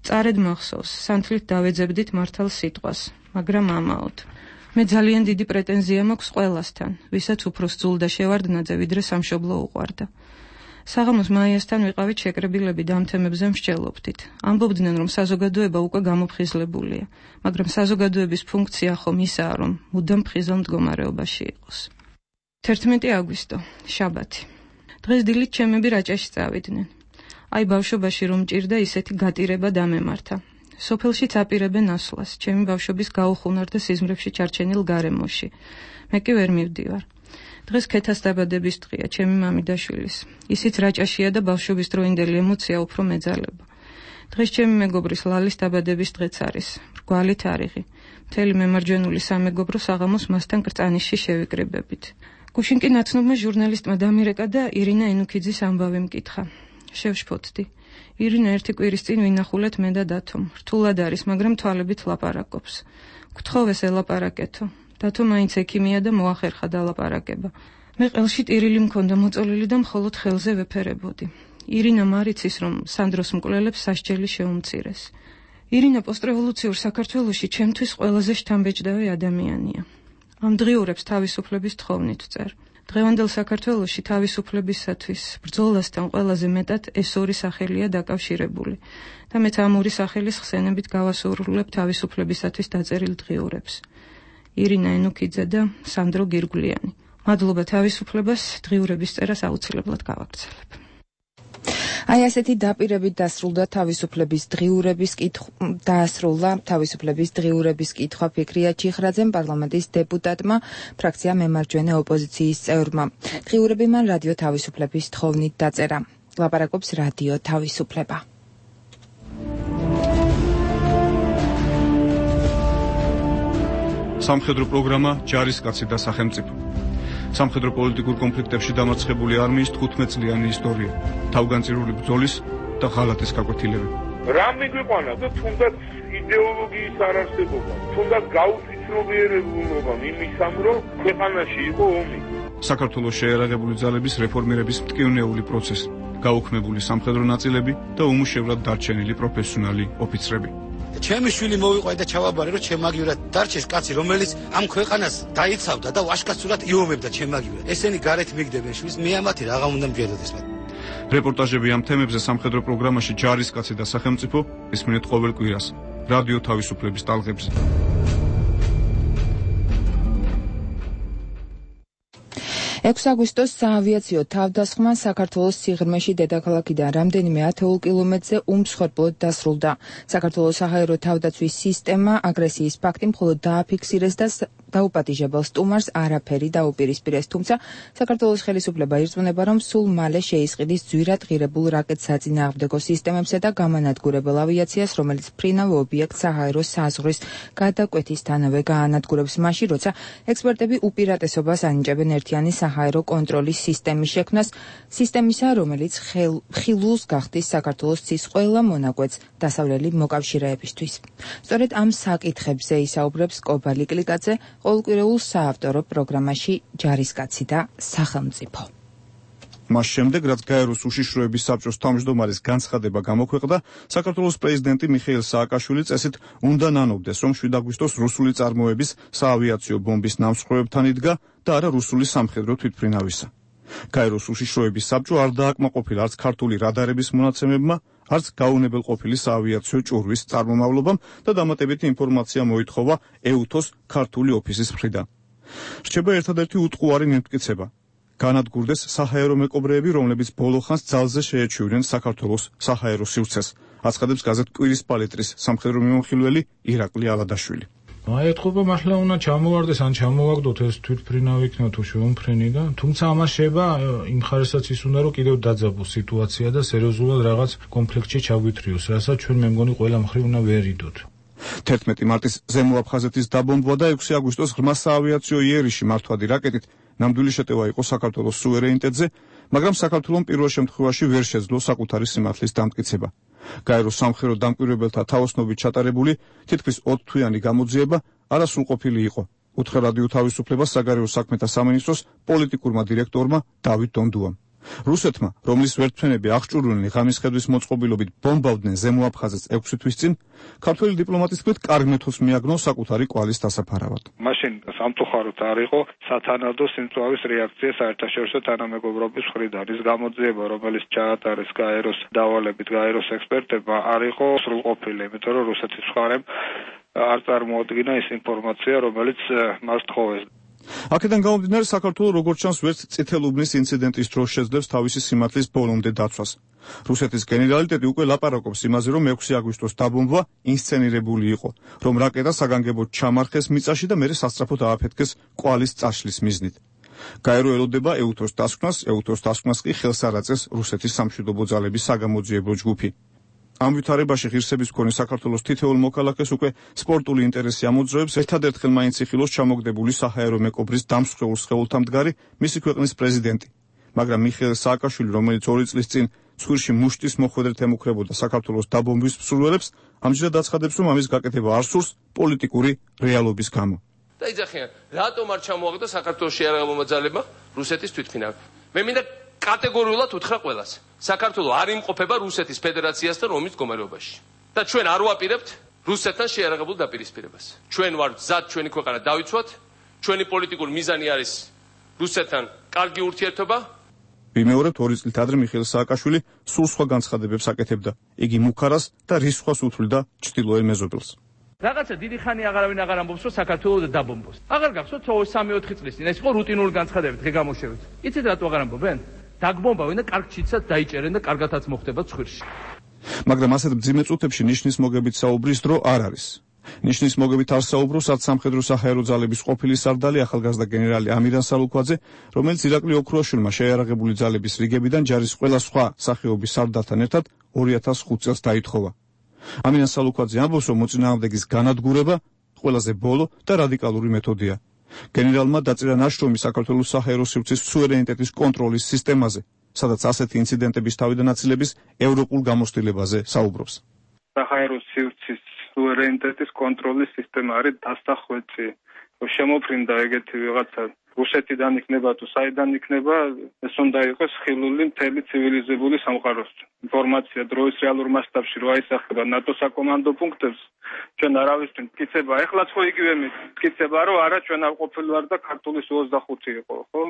წარედ მახსოვს, სანთლით დავეძებდით მართალ სიტყვას, მაგრამ ამაოდ. მე ძალიან დიდი პრეტენზია მაქვს ყველასთან, ვისაც უფრო სძულდა შევარდნაძე, ვიდრე სამშობლო უყვარდა. საღამოს მაიასთან ვიყავით შეკრებილები და ამ თემებზე მსჯელობდით. ამბობდნენ, რომ საზოგადოება უკვე გამოფხიზლებულია, მაგრამ საზოგადოების ფუნქცია ხომ ისაა, რომ მუდამ ფხიზელ მდგომარეობაში იყოს. თერთმეტი აგვისტო, შაბათი. დღეს დილით ჩემები რაჭაში წავიდნენ. აი ბავშვობაში რომ ჭირდა ისეთი გატირება დამემართა. სოფელშიც აპირებენ ასვლას, ჩემი ბავშვობის გაუხუნარდა სიზმრებში ჩარჩენილ გარემოში. მე კი ვერ მივდივარ. დღეს ქეთას დაბადების დღეა ჩემი მამიდაშვილის. ისიც რაჭაშია და ბავშვობის დროინდელი ემოცია უფრო მეძალება. დღეს ჩემი მეგობრის ლალის დაბადების დღეც არის. მრგვალი თარიღი. მთელი მემარჯვენული სამეგობრო საღამოს მასთან კრწანიშში შევიკრიბებით. გუშინ კი ნაცნობმა ჟურნალისტმა დამირეკა და ირინა ენუქიძის ამბავი მკითხა. შევშფოთდი. ირინა ერთი კვირის წინ ვინახულეთ მე და დათომ. რთულად არის, მაგრამ თვალებით ლაპარაკობს. გთხოვეს ელაპარაკეთო. დათო მაინც ექიმია და მოახერხა დალაპარაკება. მე ყელში ტირილი მქონდა მოწოლილი და მხოლოდ ხელზე ვეფერებოდი. ირინა მარიცის, რომ სანდროს მკვლელებს სასჯელი შეუმცირეს. ირინა პოსტრევოლუციურ საქართველოში ჩემთვის ყველაზე შთამბეჭდავი ადამიანია. ამ დღიურებს თავისუფლების თხოვნით წერ. დღევანდელ საქართველოში თავისუფლებისათვის ბრძოლასთან ყველაზე მეტად ეს ორი სახელია დაკავშირებული და მეც ამ ორი სახელის ხსენებით გავასურვებ თავისუფლებისათვის დაწერილ დღიურებს. ირინა ენუქიძე და სანდრო გირგვლიანი. მადლობა თავისუფლებას, დღიურების წერას აუცილებლად გავაგრძელებ. აი ასეთი დაპირებით დასრულდა თავისუფლების დღიურების კითხვა დაასრულა თავისუფლების დღიურების კითხვა ფიქრია ჩიხრაძემ, პარლამენტის დეპუტატმა, ფრაქცია მემარჯვენე ოპოზიციის წევრმა. დღიურები მან რადიო თავისუფლების თხოვნით დაწერა. ლაპარაკობს რადიო თავისუფლება. სამხედრო პროგრამა ჯარისკაცი და სახელმწიფო. სამხედრო პოლიტიკურ კონფლიქტებში დამარცხებული არმიის თხუთმეტ წლიანი ისტორია, თავგანწირული ბრძოლის და ღალატის გაკვეთილები. რა მიგვიყვანა და თუნდაც იდეოლოგიის არარსებობა, თუნდაც გაუთვითმრობიერებულობა იმისამ, რომ ქვეყანაში იყო ომი. საქართველოს შეერაღებული ძალების რეფორმირების მტკივნეული პროცესი, გაუქმებული სამხედრო ნაწილები და უმუშევრად დარჩენილი პროფესიონალი ოფიცრები. ჩემი შვილი მოვიყვაი და ჩავაბარე, რომ ჩემაგივრად დარჩეს კაცი, რომელიც ამ ქვეყანას დაიცავდა და ვაშკაცურად იომებდა ჩემაგივრად. ესენი გარეთ მიგდებენ შვილს, მე ამათი რაღა უნდა მჯეროდეს მათ. რეპორტაჟები ამ თემებზე სამხედრო პროგრამაში ჯარისკაცი და სახელმწიფო ისმინეთ ყოველ კვირას რადიო თავისუფლების ტალღებზე. ექვსი აგვისტოს საავიაციო თავდასხმა საქართველოს სიღრმეში დედაქალაქიდან რამდენიმე ათეულ კილომეტრზე უმსხვერპლოდ დასრულდა. საქართველოს საჰაერო თავდაცვის სისტემა აგრესიის ფაქტი მხოლოდ დააფიქსირეს და დაუპატიჟებელ სტუმარს არაფერი დაუპირისპირეს, თუმცა საქართველოს ხელისუფლება ირწმუნება, რომ სულ მალე შეისყიდის ძვირად ღირებულ რაკეტ-საწინააღმდეგო სისტემებსა და გამანადგურებელ ავიაციას, რომელიც ფრინავ ობიექტ საჰაერო საზღვრის გადაკვეთისთანავე გაანადგურებს მაშინ, როცა ექსპერტები უპირატესობას ანიჭებენ ერთიანი საჰაერო კონტროლის სისტემის შექმნას, სისტემისა, რომელიც ხილულს გახდის საქართველოს ცის ყველა მონაკვეთს დასავლელი მოკავშირეებისთვის. სწორედ ამ საკითხებზე ისაუბრებს კობალი კლიკაძე ყოველკვირეულ საავტორო პროგრამაში ჯარისკაცი და სახელმწიფო. მას შემდეგ, რაც გაეროს უშიშროების საბჭოს თავმჯდომარის განცხადება გამოქვეყნდა, საქართველოს პრეზიდენტი მიხეილ სააკაშვილი წესით უნდა ნანობდეს, რომ შვიდ აგვისტოს რუსული წარმოების საავიაციო ბომბის ნამსხვრევებთან იდგა და არა რუსული სამხედრო თვითმფრინავისა. გაეროს უშიშროების საბჭო არ დააკმაყოფილა არც ქართული რადარების მონაცემებმა, არც გაუნებელყოფილი საავიაციო ჭურვის წარმომავლობამ და დამატებითი ინფორმაცია მოითხოვა ეუთოს ქართული ოფისის მხრიდან. რჩება ერთადერთი უტყუარი მიმტკიცება. განადგურდეს საჰაერო მეკობრეები, რომლებიც ბოლო ხანს ძალზე შეეჩივრნენ საქართველოს საჰაერო სივრცეს, აცხადებს გაზეთ კვირის პალიტრის სამხედრო მიმოხილველი ირაკლი ალადაშვილი. აი ეთქობა მართლა უნდა ჩამოვარდეს ან ჩამოვაგდოთ ეს თვითმფრინავი იქნება თუ შემოფრენი და თუმცა ამას შეება იმ ხარესაც ის უნდა რომ კიდევ დაძაბოს სიტუაცია და სერიოზულად რაღაც კონფლიქტში ჩაგვითრიოს, რასაც ჩვენ მე მგონი ყველა მხრივ უნდა ვერიდოთ. თერთმეტი მარტის ზემო აფხაზეთის დაბომბვა და ექვსი აგვისტოს ღრმა საავიაციო იერიში მართვადი რაკეტით ნამდვილი შეტევა იყო საქართველოს სუვერენიტეტზე, მაგრამ საქართველოს პირველ შემთხვევაში ვერ შეძლო საკუთარი სიმართლის დამტკიცება. გაეროს სამხედრო დამკვირვებელთა თაოსნობით ჩატარებული თითქმის ოცთვიანი გამოძიება არასრულყოფილი იყო, უთხრა რადიო თავისუფლებას საგარეო საქმეთა სამინისტროს პოლიტიკურმა დირექტორმა დავით დონდუამ. რუსეთმა, რომლის ვერტმფრენები აღჭურვილნი ღამის ხედვის მოწყობილობით ბომბავდნენ ზემო აფხაზეთს ექვსი თვის წინ, ქართველი დიპლომატის თქმით კარგ მეთოდს მიაგნო საკუთარი კვალის დასაფარავად. მაშინ სამწუხაროდ არ იყო სათანადო სიმწვავის რეაქცია საერთაშორისო თანამეგობრობის მხრიდან. ის გამოძიება, რომელიც ჩაატარეს გაეროს დავალებით გაეროს ექსპერტებმა, არ იყო სრულყოფილი, იმიტომ რომ რუსეთის მხარემ არ წარმოადგინა ის ინფორმაცია, რომელიც მას თხოვეს. აქედან გამომდინარე, საქართველოს როგორც ჩანს ვერც წითელუბნის ინციდენტის დროს შეძლებს თავისი სიმართლის ბოლომდე დაცვას. რუსეთის გენერალიტეტი უკვე ლაპარაკობს იმაზე, რომ ექვსი აგვისტოს დაბომბვა ინსცენირებული იყო, რომ რაკეტა საგანგებოდ ჩამარხეს მიწაში და მერე სასწრაფოდ ააფეთქეს კვალის წაშლის მიზნით. გაერო ელოდება ეუთოს დასკვნას, ეუთოს დასკვნას კი ხელს არ აწეს რუსეთის სამშვიდობო ძალების საგამოძიებო ჯგუფი. ამ ვითარებაში ღირსების მქონე საქართველოს თითოეულ მოქალაქეს უკვე სპორტული ინტერესი ამოძრავებს ერთადერთხელ მაინც იხილოს ჩამოგდებული საჰაერო მეკობრის დამსხვრეულ სხეულთა მდგარი მისი ქვეყნის პრეზიდენტი. მაგრამ მიხეილ სააკაშვილი, რომელიც ორი წლის წინ ცხვირში მუშტის მოხვედრით ემუქრებოდა საქართველოს დაბომბვის მსურველებს, ამჯერად აცხადებს, რომ ამის გაკეთება არ სურს პოლიტიკური რეალობის გამო. და იძახიან, რატომ არ ჩამოაგდო საქართველოს შეიარაღებულმა ძალებმა რუსეთის თვითმფრინავი? მე მინდა კატეგორიულად უთხრა ყველას. საქართველოს არ იმყოფება რუსეთის ფედერაციასთან ომის მდგომარეობაში. და ჩვენ არ ვაპირებთ რუსეთთან შეიარაღებულ დაპირისპირებას. ჩვენ ვართ გზად ჩვენი ქვეყანა დავიცვათ, ჩვენი პოლიტიკური მიზანი არის რუსეთთან კარგი ურთიერთობა. ვიმეორებთ ორი წლით ადრე მიხეილ სააკაშვილი სულ სხვა განცხადებებს აკეთებდა. იგი მუქარას და რისხვას უთვლიდა ჩრდილოელ მეზობელს. რაღაცა დიდი ხანი აღარავინ აღარ ამბობს, რომ საქართველოს დაბომბოს. აღარ გახსოვთ სამი ოთხი წლის წინ ეს იყო რუტინული განცხადებები დღე გამოშევით. იცით რატო აღარ ამბობენ? დაგბომბავენ და კარგ ჩიცად დაიჭერენ და კარგათაც მოხდება ცხვირში. მაგრამ ასეთ მძიმე წუთებში ნიშნის მოგებით საუბრის დრო არ არის. ნიშნის მოგებით არ საუბრობს არც სამხედრო საჰაერო ძალების ყოფილი სარდალი ახალგაზრდა გენერალი ამირან სალუქვაძე, რომელიც ირაკლი ოქროაშვილმა შეიარაღებული ძალების რიგებიდან ჯარის ყველა სხვა სახეობის სარდალთან ერთად ორი ათას ხუთ წელს დაითხოვა. ამირან სალუქვაძე ამბობს, რომ მოწინააღმდეგის განადგურება ყველაზე ბოლო და რადიკალური მეთოდია. გენერალმა დაწერა ნაშრომი საქართველოს საჰაერო სივრცის სუვერენიტეტის კონტროლის სისტემაზე, სადაც ასეთი ინციდენტების თავიდანაწილების ევროპულ გამოცდილებაზე საუბრობს. საჰაერო სივრცის სუვერენიტეტის კონტროლის სისტემა არის დასახვეწი. შემოფრინდა ეგეთი ვიღაცა რუსეთიდან იქნება თუ საიდან იქნება, ეს უნდა იყოს ხილული მთელი ცივილიზებული სამყაროს. ინფორმაცია დროის რეალურ მასშტაბში რო აისახება ნატოს საკომანდო პუნქტებს, ჩვენ არავისთვის მტკიცება, ეხლაც ხო იგივე მტკიცება, რომ არა ჩვენ არ ყოფილვარ და ქართულის ოცდახუთი იყო, ხო?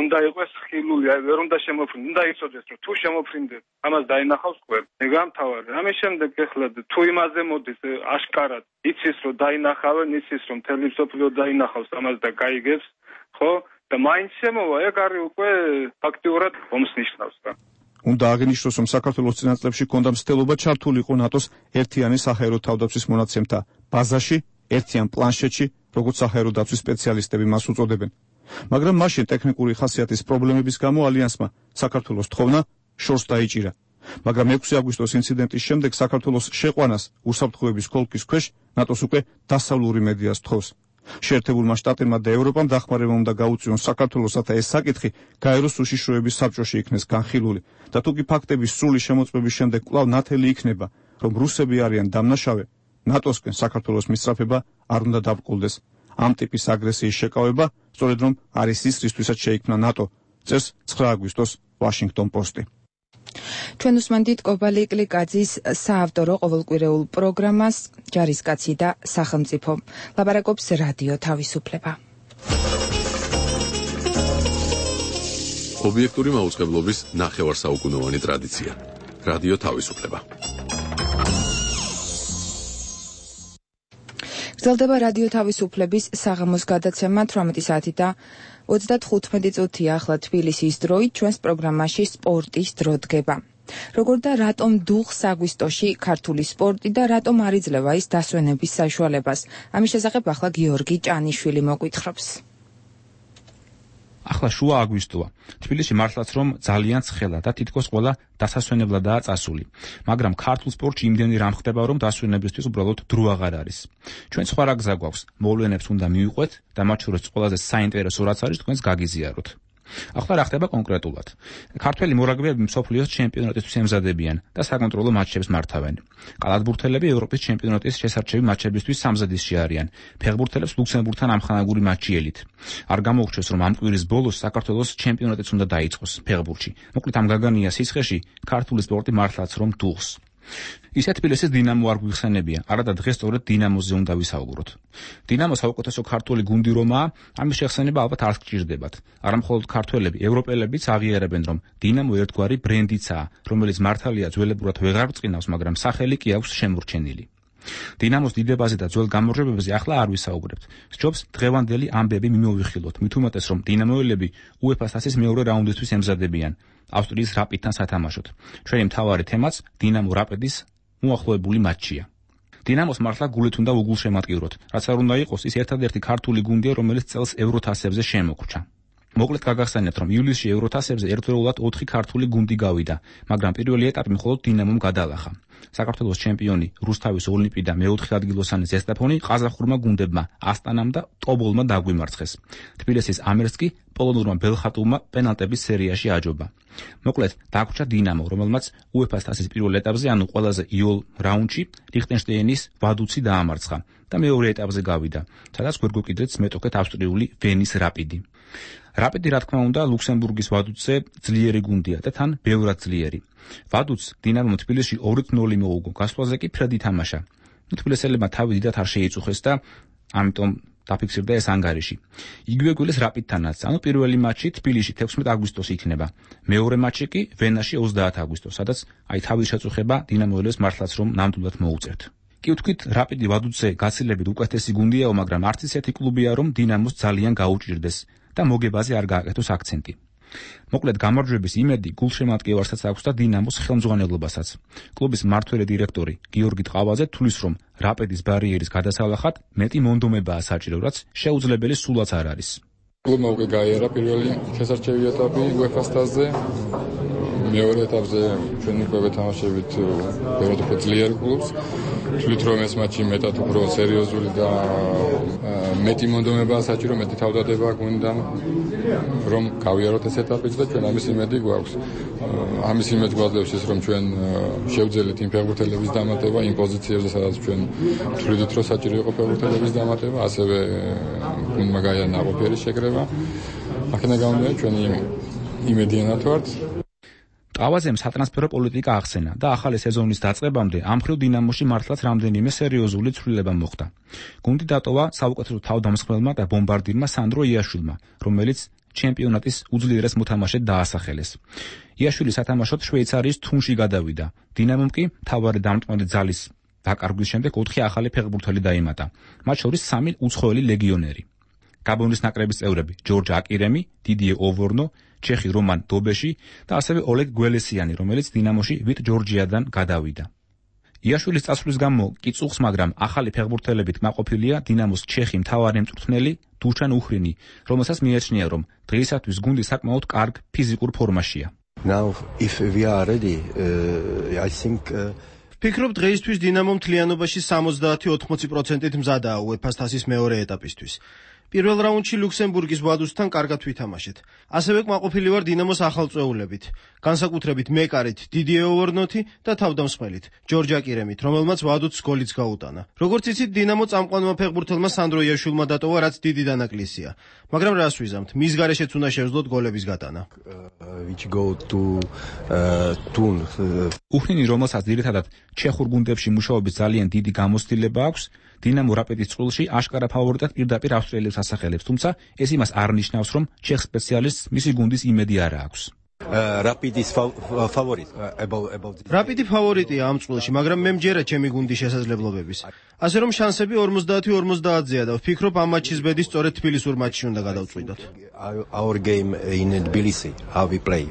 უნდა იყოს ხილული, აი ვერ უნდა შემოფრინდეს, უნდა იცოდეს, რომ თუ შემოფრინდეს, ამას დაინახავს ყველ. მე გამთავარი. ამის შემდეგ ეხლა თუ იმაზე მოდის აშკარად, იცის რომ დაინახავენ, იცის რომ მთელი მსოფლიო დაინახავს ამას და გაიგებს, ხო? და მაინც შემოვა, ეგ არის უკვე ფაქტიურად ომს ნიშნავს რა. უნდა აღინიშნოს, რომ საქართველოს წინაწლებში ჰქონდა მცდელობა ჩართულიყო ნატოს ერთიანი საჰაერო თავდაცვის მონაცემთა ბაზაში, ერთიან პლანშეტში, როგორც საჰაერო დაცვის სპეციალისტები მას უწოდებენ. მაგრამ მაშინ ტექნიკური ხასიათის პრობლემების გამო ალიანსმა საქართველოს თხოვნა შორს დაიჭირა. მაგრამ ექვსი აგვისტოს ინციდენტის შემდეგ საქართველოს შეყვანას უსაფრთხოების ქოლქის ქვეშ ნატოს უკვე დასავლური მედიას თხოვს. შეერთებულმა შტატებმა და ევროპამ დახმარება უნდა გაუწიონ საქართველოს, რათა ეს საკითხი გაეროს უშიშროების საბჭოში იქნეს განხილული და თუკი ფაქტების სრული შემოწმების შემდეგ კვლავ ნათელი იქნება, რომ რუსები არიან დამნაშავე, ნატოსკენ საქართველოს მისწრაფება არ უნდა დაბრკოლდეს. ამ ტიპის აგრესიის შეკავება სწორედ რომ არის ის, რისთვისაც შეიქმნა ნატო, წერს ცხრა აგვისტოს Washington Post-ი. ჩვენ უსმენთ კობალი კლიკაძის საავტორო ყოველკვირეულ პროგრამას ჯარისკაცი და სახელმწიფო. ლაპარაკობს რადიო თავისუფლება. ობიექტური მაუწყებლობის ნახევარსაუკუნოვანი ტრადიცია. რადიო თავისუფლება. გრძელდება რადიო თავისუფლების საღამოს გადაცემა თვრამეტი საათი და ოცდათხუთმეტი წუთია. ახლა თბილისის დროით ჩვენს პროგრამაში სპორტის დრო დგება. როგორ და რატომ დუხს აგვისტოში ქართული სპორტი და რატომ არ იძლევა ის დასვენების საშუალებას? ამის შესახებ ახლა გიორგი ჭანიშვილი მოგვითხრობს. ახლა შუა აგვისტოა. თბილისში მართლაც რომ ძალიან ცხელა და თითქოს ყველა დასასვენებლადაა წასული. მაგრამ ქართულ სპორტში იმდენი რამ ხდება, რომ დასვენებისთვის უბრალოდ დრო აღარ არის. ჩვენ სხვა რა გზა გვაქვს? მოვლენებს უნდა მივიყვეთ და მათ შორის ყველაზე საინტერესო რაც არის, თქვენს გაგიზიაროთ. ახლა რა ხდება კონკრეტულად? ქართველი მორაგბეები მსოფლიოს ჩემპიონატისთვის ემზადებიან და საკონტროლო მატჩებს მართავენ. კალათბურთელები ევროპის ჩემპიონატის შესარჩევი მატჩებისთვის სამზადისში არიან. ფეხბურთელებს ლუქსემბურგთან ამხანაგური მატჩი ელით. არ გამოუჩვენს რომ ამ კვირის ბოლოს საქართველოს ჩემპიონატიც უნდა დაიწყოს ფეხბურთში. მოკლედ ამ გაგანია სიცხეში ქართული სპორტი მართლაც რომ დუხს. ისე თბილისის დინამო არ გვიხსენებია, არადა დღეს სწორედ დინამოზე უნდა ვისაუბროთ. დინამო საუკეთესო ქართული გუნდი რომაა, ამის შეხსენება ალბათ არ გჭირდებათ. არამხოლოდ ქართველები, ევროპელებიც აღიარებენ, რომ დინამო ერთგვარი ბრენდიცაა, რომელიც მართალია ძველებურად ვეღარ ბრწყინავს, მაგრამ სახელი კი აქვს შემორჩენილი. დინამოს დიდებაზე და ძველ გამარჯვებებზე ახლა არ ვისაუბრებთ. სჯობს დღევანდელი ამბები მიმოვიხილოთ, მით უმეტეს რომ დინამოელები უეფა-ს თასის მეორე რაუნდისთვის ემზადებიან. ავსტრიის რაპიდთან სათამაშოდ. ჩვენი მთავარი თემაც დინამო რაპიდის მოახლოებული მატჩია. დინამოს მართლა გულით უნდა უგულშემატკივროთ, რაც არ უნდა იყოს, ის ერთადერთი ქართული გუნდია, რომელიც წელს ევროთასებზე შემოგვჭა. მოკლედ გაგახსენებთ, რომ ივლისში ევროთასებზე ერთდროულად ოთხი ქართული გუნდი გავიდა, მაგრამ პირველი ეტაპი მხოლოდ დინამომ გადალახა. საქართველოს ჩემპიონი რუსთავის ოლიმპი და მეოთხე ადგილოსანი ზესტაფონი ყაზახურმა გუნდებმა ასტანამ და ტობოლმა დაგვიმარცხეს. თბილისის ამერს კი პოლონურმა ბელხატუვმა პენალტების სერიაში აჯობა. მოკლედ დაგვრჩა დინამო, რომელმაც უეფა-ს თასის პირველ ეტაპზე, ანუ ყველაზე იოლ რაუნდში ლიხტენშტეინის ვადუცი დაამარცხა და მეორე ეტაპზე გავიდა, სადაც გვერგოკიდრეც მეტოქეთ ავსტრიული ვენის რაპიდი. რაპიდი რა თქმა უნდა ლუქსემბურგის ვადუცზე ძლიერი გუნდია და თან ბევრად ძლიერი. ვადუცს დინამომ თბილისში ორი ნული მოუგო, გასვლაზე კი ფრედი თამაშა. თბილისელებმა თავი დიდად არ შეიწუხეს და ამიტომ დაფიქსირდა ეს ანგარიში. იგივე გულის რაპიდთანაც, ანუ პირველი მატჩი თბილისში თექვსმეტი აგვისტოს იქნება. მეორე მატჩი კი ვენაში ოცდაათი აგვისტოს, სადაც აი თავის შეწუხება დინამოელებს მართლაც რომ ნამდვილად მოუწევთ. კი ვთქვით, რაპიდი ვადუცზე გაცილებით უკეთესი გუნდიაო, მაგრამ არც ისეთი კლუბია, რომ დინამოს ძალიან გაუჭირდეს და მოგებაზე არ გააკეთოს აქცენტი. მოკლედ გამარჯვების იმედი გულშემატკივარსაც აქვს და დინამოს ხელმძღვანელობასაც. კლუბის მმართველი დირექტორი გიორგი ტყავაძე თვლის, რომ რაპიდის ბარიერის გადასალახად მეტი მონდომებაა საჭირო, რაც შეუძლებელი სულაც არ არის. კლუბმა უკვე გაიარა პირველი შესარჩევი ეტაპი უეფა-ს თასზე. მეორე ეტაპზე ჩვენ უკვე ვეთამაშებით ბევრად უფრო ძლიერ კლუბს. თვლით რომ ეს მატჩი მეტად უფრო სერიოზული და მეტი მონდომებაა საჭირო, მეტი თავდადება გვინდა რომ გავიაროთ ეს ეტაპიც და ჩვენ ამის იმედი გვაქვს. ამის იმედი გვაძლევს ის, რომ ჩვენ შევძელით იმ ფეხბურთელების დამატება იმ პოზიციებზე, სადაც ჩვენ თვლით რომ საჭირო იყო ფეხბურთელების დამატება, ასევე გუნდმა გაიარა ნაყოფიერი შეკრება. აქედან გამომდინარე ჩვენი იმედიანად ვართ. ტყავაძემ სატრანსფერო პოლიტიკა ახსენა და ახალი სეზონის დაწყებამდე ამ მხრივ დინამოში მართლაც რამდენიმე სერიოზული ცვლილება მოხდა. გუნდი დატოვა საუკეთესო თავდამსხმელმა და ბომბარდირმა სანდრო იაშვილმა, რომელიც ჩემპიონატის უძლიერეს მოთამაშედ დაასახელეს. იაშვილი სათამაშოდ შვეიცარიის თუნში გადავიდა. დინამომ კი მთავარი დამტმელი ძალის დაკარგვის შემდეგ ოთხი ახალი ფეხბურთელი დაემატა, მათ შორის სამი უცხოელი ლეგიონერი. გაბონის ნაკრების წევრები ჯორჯ აკირემი, დიდიე ოვორნო, ჩეხი რომან დობეში და ასევე ოლეგ გველესიანი, რომელიც დინამოში ვიტ ჯორჯიადან გადავიდა. იაშვილის წასვლის გამო კი წუხს, მაგრამ ახალი ფეხბურთელებით კმაყოფილია დინამოს ჩეხი მთავარი მწვრთნელი დუშან უხრინი, რომელსაც მიაჩნია, რომ დღეისათვის გუნდი საკმაოდ კარგ ფიზიკურ ფორმაშია. Now if we are ready, uh, I think uh... ფიქრობ დღეისთვის დინამო მთლიანობაში სამოცდაათი ოთხმოცი პროცენტით მზადაა უეფა-ს თასის მეორე ეტაპისთვის. პირველ რაუნდში ლუქსემბურგის ვადუსთან კარგად ვითამაშეთ. ასევე კმაყოფილი ვარ დინამოს ახალწვეულებით, განსაკუთრებით მეკარით დიდიე ოვორნოთი და თავდამსხმელით ჯორჯ აკირემით, რომელმაც ვადუც გოლიც გაუტანა. როგორც იცით, დინამო წამყვანმა ფეხბურთელმა სანდრო იაშვილმა დატოვა, რაც დიდი დანაკლისია. მაგრამ რას ვიზამთ, მის გარეშეც უნდა შევძლოთ გოლების გატანა. which go to tun. უხრინი, რომელსაც ძირითადად ჩეხურ გუნდებში მუშაობის ძალიან დიდი გამოცდილება აქვს, დინამო რაპიდის წყვილში აშკარა ფავორიტად პირდაპირ ავსტრიელებს ასახელებს, თუმცა ეს იმას არ ნიშნავს, რომ ჩეხ სპეციალისტს მისი გუნდის იმედი არ აქვს. რაპიდის ფავორიტ about about რაპიდი ფავორიტია ამ წყვილში, მაგრამ მე მჯერა ჩემი გუნდის შესაძლებლობების. ასე რომ შანსები ორმოცდაათი ორმოცდაათზეა და ვფიქრობ ამ მაჩის ბედი სწორედ თბილისურ მაჩში უნდა გადავწყვიტოთ. Our game in Tbilisi, how we play.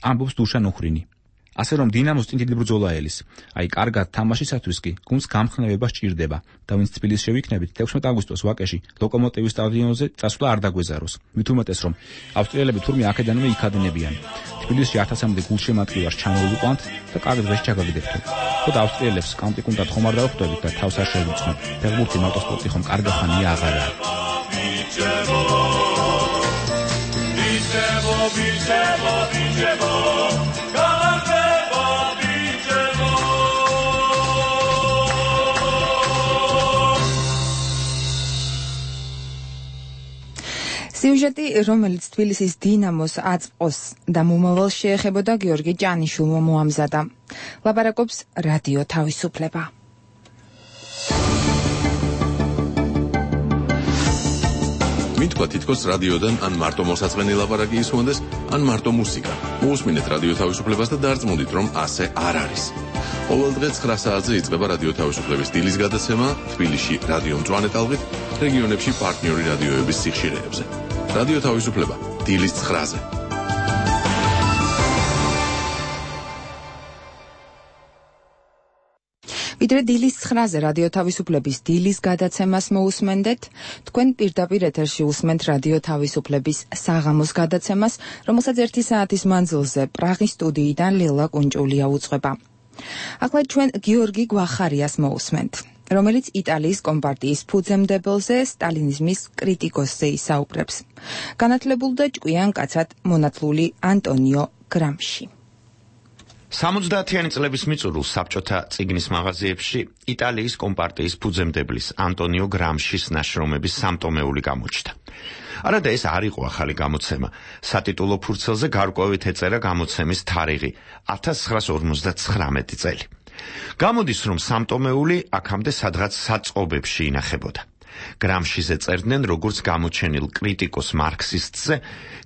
ამბობს დუშან უხრინი. ასე რომ დინამოს წინ დიდი ბრძოლა ელის. აი, კარგად თამაშისათვის კი გუნდს გამხნევება სჭირდება და ვინც თბილისში შევიქნებით თექვსმეტ აგვისტოს ვაკეში ლოკომოტივის სტადიონზე წასვლა არ დაგვეზაროს. მით უმეტეს რომ ავსტრიელები თურმე აქედანვე იქადნებიან. თბილისში ათასამდე გულშემატკივარს ჩამოვიყვანთ და კარგ დღეს ჩაგაგდებთ. ხოდა ავსტრიელებს კამპიკუნდად ხომ არ დავხვდებით და თავს არ შევიწყნოთ. ფეხბურთი მარტოსპორტი ხომ კარგი ხანია აღარა. სიუჟეტი, რომელიც თბილისის დინამოს აწყოს და მომავალს შეეხებოდა, გიორგი ჭანიშვილმა მოამზადა. ლაპარაკობს რადიო თავისუფლება. მითქვა თითქოს რადიოდან ან მარტო მოსაწყენი ლაპარაკი ისმონდეს, ან მარტო მუსიკა. მოусმინეთ რადიო თავისუფლებას და დარწმუნდით, რომ ასე არ არის. ყოველ დღე ცხრა საათზე იწყება რადიო თავისუფლების დილის გადაცემა თბილისში რადიო მწვანე ტალღით, რეგიონებში პარტნიორი რადიოების სიხშირეებზე. რადიო თავისუფლება დილის ცხრაზე. ვიდრე დილის ცხრაზე რადიო თავისუფლების დილის გადაცემას მოусმენდეთ, თქვენ პირდაპირ ეთერში უსმენთ რადიო თავისუფლების საღამოს გადაცემას, რომელსაც ერთი საათის მანძილზე პრაღის სტუდიიდან ლელა კუნჭულია უძღვება. ახლა ჩვენ გიორგი გვახარიას მოусმენთ, რომელიც იტალიის კომპარტიის ფუძემდებელზე, სტალინიზმის კრიტიკოსზე ისაუბრებს. განათლებულ და ჭკვიან კაცად მონათლული ანტონიო გრამში. სამოცდაათიანი წლების მიწურულს საბჭოთა წიგნის მაღაზიებში იტალიის კომპარტიის ფუძემდებლის ანტონიო გრამშის ნაშრომების სამტომეული გამოჩნდა. არადა ეს არ იყო ახალი გამოცემა. სატიტულო ფურცელზე გარკვევით ეწერა გამოცემის თარიღი ათას ცხრაას ორმოცდათხრამეტი წელი. გამოდის, რომ სამტომეული აქამდე სადღაც საწყობებში ინახებოდა. გრამშიზე წერდნენ როგორც გამოჩენილ კრიტიკოს მარქსისტზე,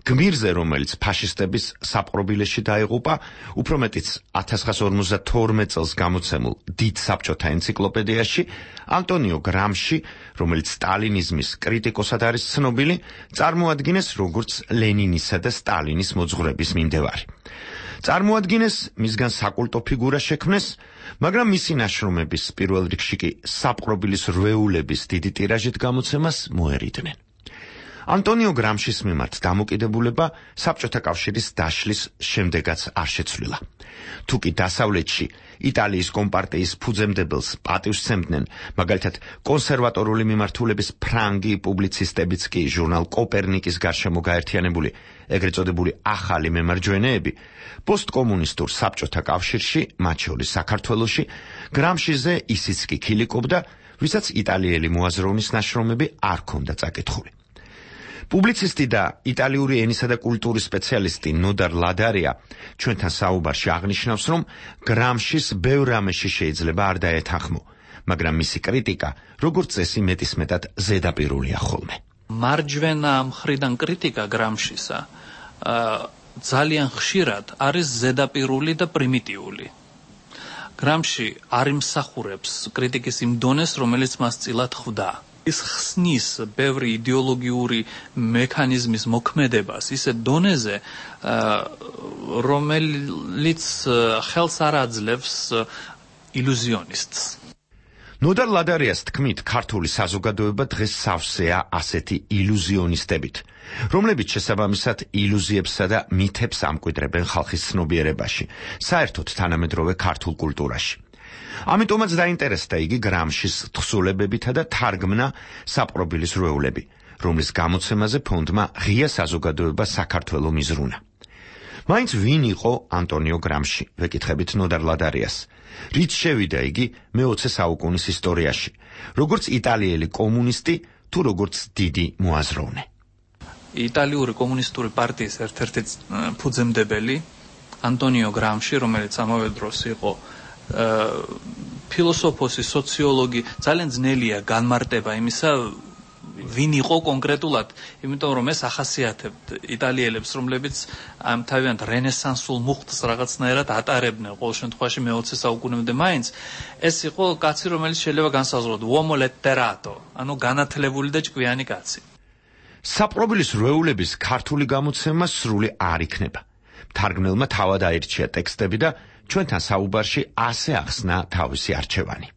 გმირზე, რომელიც ფაშისტების საპყრობილეში დაეღუპა, უფრო მეტიც ათას ცხრაას ორმოცდათორმეტ წელს გამოცემულ დიდ საბჭოთა ენციკლოპედიაში, ანტონიო გრამში, რომელიც სტალინიზმის კრიტიკოსად არის ცნობილი, წარმოადგინეს როგორც ლენინისა და სტალინის მოძღვრების მიმდევარი. წარმოადგინეს, მისგან საკულტო ფიგურა შექმნეს, მაგრამ მისი ნაშრომების პირველ რიგში კი საპყრობილის რვეულების დიდი ტირაჟით გამოცემას მოერიდნენ. ანტონიო გრამშის მიმართ დამოკიდებულება საბჭოთა კავშირის დაშლის შემდეგაც არ შეცვლილა. თუკი დასავლეთში იტალიის კომპარტიის ფუძემდებელს პატივს სცემდნენ, მაგალითად კონსერვატორული მიმართულების ფრანგი პუბლიცისტებიც კი ჟურნალ კოპერნიკის გარშემო გაერთიანებული ეგრეთ წოდებული ახალი მემარჯვენეები, პოსტკომუნისტურ საბჭოთა კავშირში, მათ შორის საქართველოში, გრამშიზე ისიც კი ქილიკობდა, ვისაც იტალიელი მოაზროვნის ნაშრომები არ ჰქონდა წაკითხული. პუბლიცისტი და იტალიური ენისა და კულტურის სპეციალისტი ნოდარ ლადარია ჩვენთან საუბარში აღნიშნავს, რომ გრამშის ბევრ რამეში შეიძლება არ დაეთანხმო, მაგრამ მისი კრიტიკა, როგორც წესი, მეტისმეტად ზედაპირულია ხოლმე. მარჯვენა მხრიდან კრიტიკა გრამშისა ძალიან ხშირად არის ზედაპირული და პრიმიტიული. გრამში არ იმსახურებს კრიტიკის იმ დონეს, რომელიც მას წილად ხვდა. ის ხსნის ბევრი იდეოლოგიური მექანიზმის მოქმედებას ისე დონეზე, რომელიც ხელს არ აძლევს ილუზიონისტს. ნოდარ ლადარიას თქმით, ქართული საზოგადოება დღეს სავსეა ასეთი ილუზიონისტებით, რომლებიც შესაბამისად ილუზიებსა და მითებს ამკვიდრებენ ხალხის ცნობიერებაში, საერთოდ თანამედროვე ქართულ კულტურაში. ამიტომაც დაინტერესდა იგი გრამშის თხზულებებითა და თარგმნა საპყრობილის რვეულები, რომლის გამოცემაზე ფონდმა ღია საზოგადოება საქართველო მიზრუნა. მაინც ვინ იყო ანტონიო გრამში, ვეკითხებით ნოდარ ლადარიას. რით შევიდა იგი მეოცე საუკუნის ისტორიაში, როგორც იტალიელი კომუნისტი თუ როგორც დიდი მოაზროვნე. იტალიური კომუნისტური პარტიის ერთ-ერთი ფუძემდებელი ანტონიო გრამში, რომელიც ამავე დროს იყო ფილოსოფოსი, სოციოლოგი, ძალიან ძნელია განმარტება იმისა, ვინ იყო კონკრეტულად, იმიტომ რომ ეს ახასიათებთ იტალიელებს, რომლებიც ამ თავიანთ რენესანსულ მუხტს რაღაცნაირად ატარებდნენ ყოველ შემთხვევაში მეოცე საუკუნემდე მაინც. ეს იყო კაცი, რომელიც შეიძლება განსაზღვროთ uomo letterato, ანუ განათლებული და ჭკვიანი კაცი. საპყრობილის რვეულების ქართული გამოცემა სრული არ იქნება. თარგმნელმა თავად აირჩია ტექსტები და ჩვენთან საუბარში ასე ახსნა თავისი არჩევანი.